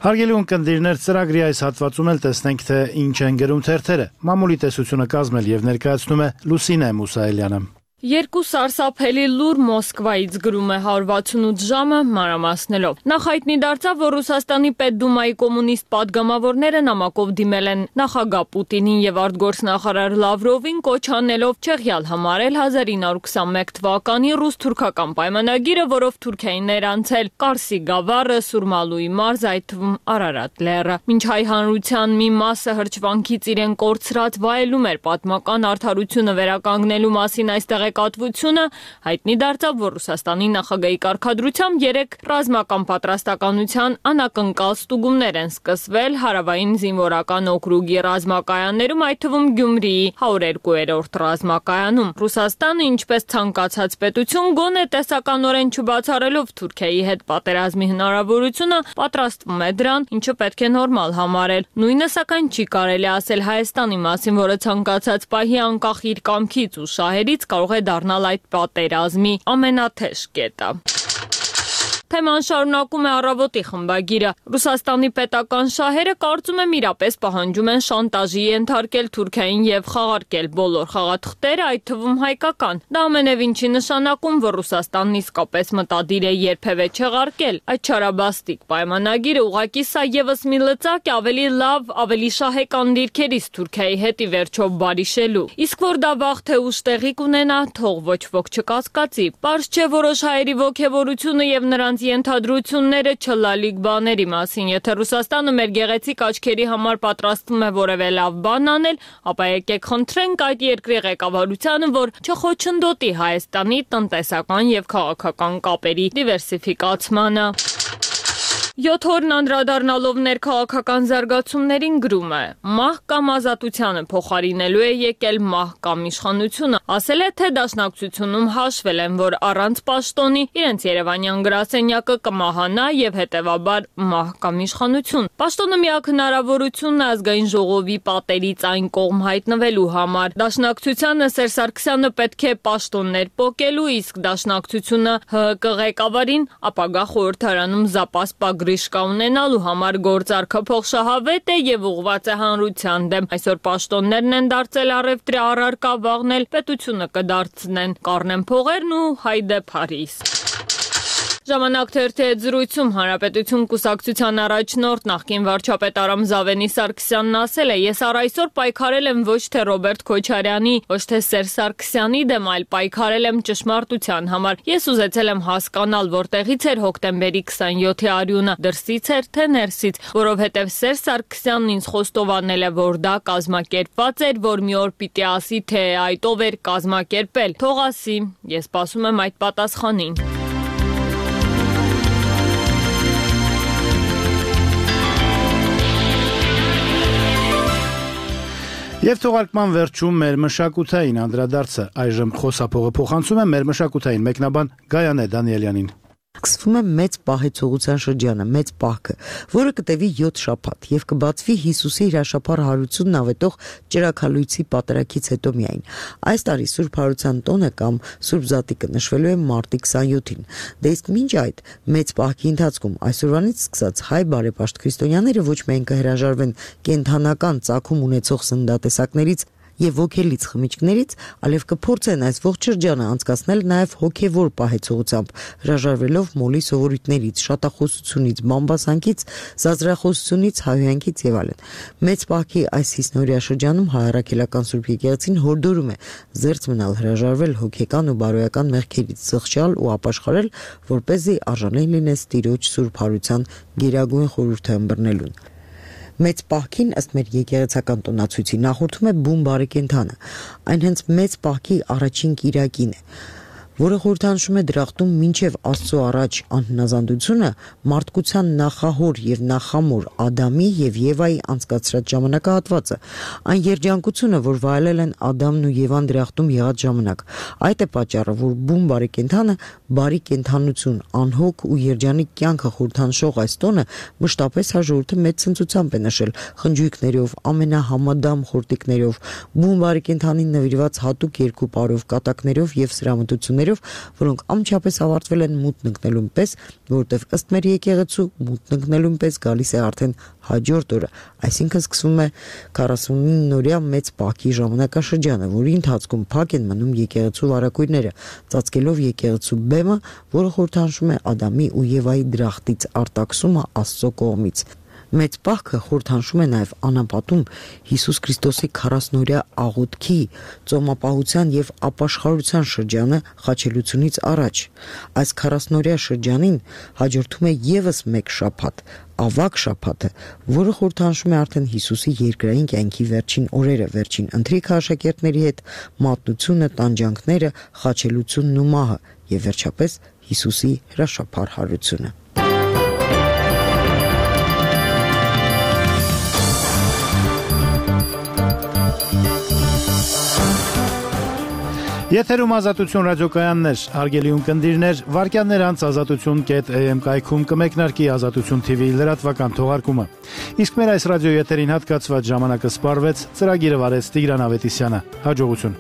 Հարգելի ունկնդիրներ, ծրագրի այս հատվածում էլ տեսնենք, թե ինչ են գրում թերթերը։ Մամուլի տեսությունը կազմել եւ ներկայացնում է Լուսինե Մուսայելյանը։ Երկու սարսափելի լուր Մոսկվայից գրում է 168 ժամը մանրամասնելով։ Նախ հայտնի դարձավ, որ Ռուսաստանի Պետդումայի կոմունիստ падգամավորները նամակով դիմել են նախագահ Պուտինին եւ արտգործնախարար Լավրովին կոչ անելով չեղյալ համարել 1921 թվականի ռուս-թուրքական պայմանագիրը, որով Թուրքիային ներանցել Կարսի գավառը, Սուրմալուի մարզ, այդ թվում Արարատ լեռը։ Մինչ հայ հանրության մի մասը հրճվանքից իրեն կորցրած վայելում էր պատմական արդարությունը վերականգնելու մասին այստեղ կատվությունը, հայտնի դարձավ, որ Ռուսաստանի նախագահի կարգադրությամբ 3 ռազմական պատրաստականության անակնկալ ստուգումներ են սկսվել հարավային զինվորական օկրուգի ռազմակայաններում, այդ թվում Գյումրիի 102-րդ ռազմակայանում։ Ռուսաստանը, ինչպես ցանկացած պետություն, գոնե տեսականորեն չբացառելով Թուրքիայի հետ պատերազմի հնարավորությունը, պատրաստվում է դրան, ինչը պետք է նորմալ համարել։ Նույնը սակայն չի կարելի ասել Հայաստանի մասին, որը ցանկացած պահի անկախ իր կամքից ու շահերից կարող է դառնալ այդ պատերազմի ամենաթեժ կետը։ Թեման շարունակում է Առավոտի խմբագիրը։ Ռուսաստանի պետական շահերը կարծում եմ իրապես պահանջում են շանտաժի ենթարկել Թուրքիային եւ խաղարկել բոլոր խաղաթղթերը, այդ թվում հայկական։ Դա ամենևին չի նշանակում, որ Ռուսաստանն իսկապես մտադիր է երբևէ չեղարկել։ Այդ չարաբաստիկ պայմանագիրը ուղղակի սա եւս մի լծակ է ավելի լավ, ավելի շահեկան դիրքերից Թուրքիայի հետ ի վերջո բարիշելու։ Իսկ որ դա վաղ թե ուշ տեղի կունենա, թող ոչ ոք չկասկածի։ Պարզ չէ որոշ հայերի ոգևորությունը եւ նրանց ենթադրությունները չլալիք բաների մասին։ Եթե Ռուսաստանը մեր գեղեցիկ աչքերի համար պատրաստվում է որևէ լավ բան անել, ապա եկեք խնդրենք այդ երկրի ղեկավարությանը, որ չխոչընդոտի Հայաստանի տնտեսական եւ քաղաքական կապերի դիվերսիֆիկացմանը։ 7 օրն անդրադառնալով ներքաղաքական զարգացումներին գրում է. մահ կամ ազատությանը փոխարինելու է եկել մահ կամ իշխանությունը։ Ասել է, թե դաշնակցությունում հաշվել են, որ առանց պաշտոնի իրենց երևանյան գրասենյակը կմահանա եւ հետեւաբար մահ կամ իշխանություն։ Պաշտոնը միակ հնարավորությունն է ազգային ժողովի պատերից այն կողմ հայտնվելու համար։ Դաշնակցությանը Սերժ Սարգսյանը պետք է պաշտոններ պոկելու, իսկ դաշնակցությունը ՀՀԿ ղեկավարին ապագա խորհրդարանում զապաս գրիշկա ունենալու համար գործարքը փոխշահավետ է եւ ուղղված է հանրության դեմ։ Այսօր պաշտոններն են դարձել առևտրի առարկա, վաղն էլ պետությունը կդարձնեն կառնեն փողերն ու հայդե Փարիզ։ Ժամանակ թերթի հետ զրույցում Հանրապետություն կուսակցության առաջնորդ նախկին վարչապետ Արամ Զավենի Սարգսյանն ասել է. ես առ այսօր պայքարել եմ ոչ թե Ռոբերտ Քոչարյանի, ոչ թե Սերժ Սարգսյանի դեմ, այլ պայքարել եմ ճշմարտության համար։ Ես ուզեցել եմ հասկանալ, որտեղից էր հոկտեմբերի 27-ի արյունը, դրսից էր թե ներսից, որովհետև Սերժ Սարգսյանն ինձ խոստովանել է, որ դա կազմակերպված էր, որ մի օր պիտի ասի, թե այդ ով էր կազմակերպել։ Թող ասի, ես սպասում եմ այդ պատասխանին։ Եվ թողարկման վերջում մեր մշակութային անդրադարձը այժմ խոսափողը փոխանցում է մեր մշակութային մեկնաբան Գայանե Դանիելյանին։ Սկսվում է մեծ պահեցողության շրջանը, մեծ պահքը, որը կտևի 7 շաբաթ եւ կբացվի Հիսուսի հրաշափառ հարությունն ավետող ճրագալույցի պատարագից հետո միայն։ Այս տարի Սուրբ Հարության տոնը կամ Սուրբ Զատիկը նշվելու է մարտի 27-ին։ Դե իսկ մինչ այդ մեծ պահքի ընթացքում այսօրվանից սկսած հայ բարեպաշտ քրիստոնյաները ոչ միայն կհրաժարվեն կենթանական ծագում ունեցող սննդատեսակներից եւ ոգելից խմիչքներից, այլև կփորձեն այս ողջ շրջանը անցկացնել նաեւ հոգեվոր պահեցողությամբ, հրաժարվելով մոլի սովորույթներից, շատախոսությունից, բամբասանքից, զազրախոսությունից, հայհոյանքից եւ այլն։ Մեծ պահքի այս հիսնորիա շրջանում հայ առաքելական Սուրբ Եկեղեցին հորդորում է զերծ մնալ, հրաժարվել հոգեկան ու բարոյական մեղքերից, զղջալ ու ապաշխարել, որպեսզի արժանեն լինես Տիրոջ Սուրբ Հարության գերագույն խորհուրդը ըմբռնելուն։ Մեծ պահքին ըստ մեր եկեղեցական տոնացույցի նախորդում է բուն բարեկենդանը։ Այն հենց մեծ պահքի առաջին կիրակին է, որը խորհրդանշում է դրախտում մինչև Աստծո առաջ անհնազանդությունը մարդկության նախահոր եւ նախամոր Ադամի եւ Եվայի անցկացրած ժամանակահատվածը, այն երջանկությունը, որ վայելել են Ադամն ու Եվան դրախտում եղած ժամանակ։ Այդ է պատճառը, որ բուն բարեկենդանը բարի կենդանություն, անհոգ ու երջանիկ կյանքը խորհրդանշող այս տոնը մշտապես հաջորդը մեծ ցնծությամբ է նշել խնջույքներով, ամենահամադամ խորտիկներով, բուն բարեկենդանին նվիրված հատուկ երկու պարով, կատակներով եւ սրամտություններով հանդիպումներով, որոնք անմիջապես ավարտվել են մութն ընկնելուն պես, որովհետև ըստ մեր եկեղեցու մութն ընկնելուն պես գալիս է արդեն հաջորդ օրը, այսինքն սկսվում է 49-օրյա մեծ պահքի ժամանակաշրջանը, որի ընթացքում փակ են մնում եկեղեցու վարակույրները, ծածկելով եկեղեցու բեմը, որը խորհրդանշում է Ադամի ու Եվայի դրախտից արտաքսումը Աստծո կողմից։ Մեծ պահքը խորհրդանշում է նաև անապատում Հիսուս Քրիստոսի 40-օրյա աղոթքի, ծոմապահության եւ ապաշխարության շրջանը խաչելությունից առաջ։ Այս 40-օրյա շրջանին հաջորդում է եւս մեկ շաբաթ, ավագ շաբաթը, որը խորհրդանշում է արդեն Հիսուսի երկրային կյանքի վերջին օրերը, վերջին ընթրիքը աշակերտների հետ, մատնությունը, տանջանքները, խաչելությունն ու մահը եւ վերջապես Հիսուսի հրաշափառ հարությունը։ Եթերում Ազատություն ռադիոկայաններ, հարգելի ունկնդիրներ, վարքյաններ անց azatutun.am կայքում կմեկնարկի Ազատություն TV լրատվական թողարկումը։ Իսկ մեր այս ռադիոյեթերին հատկացված ժամանակը սպառվեց, ծրագիրը վարեց Տիգրան Ավետիսյանը։ Հաջողություն։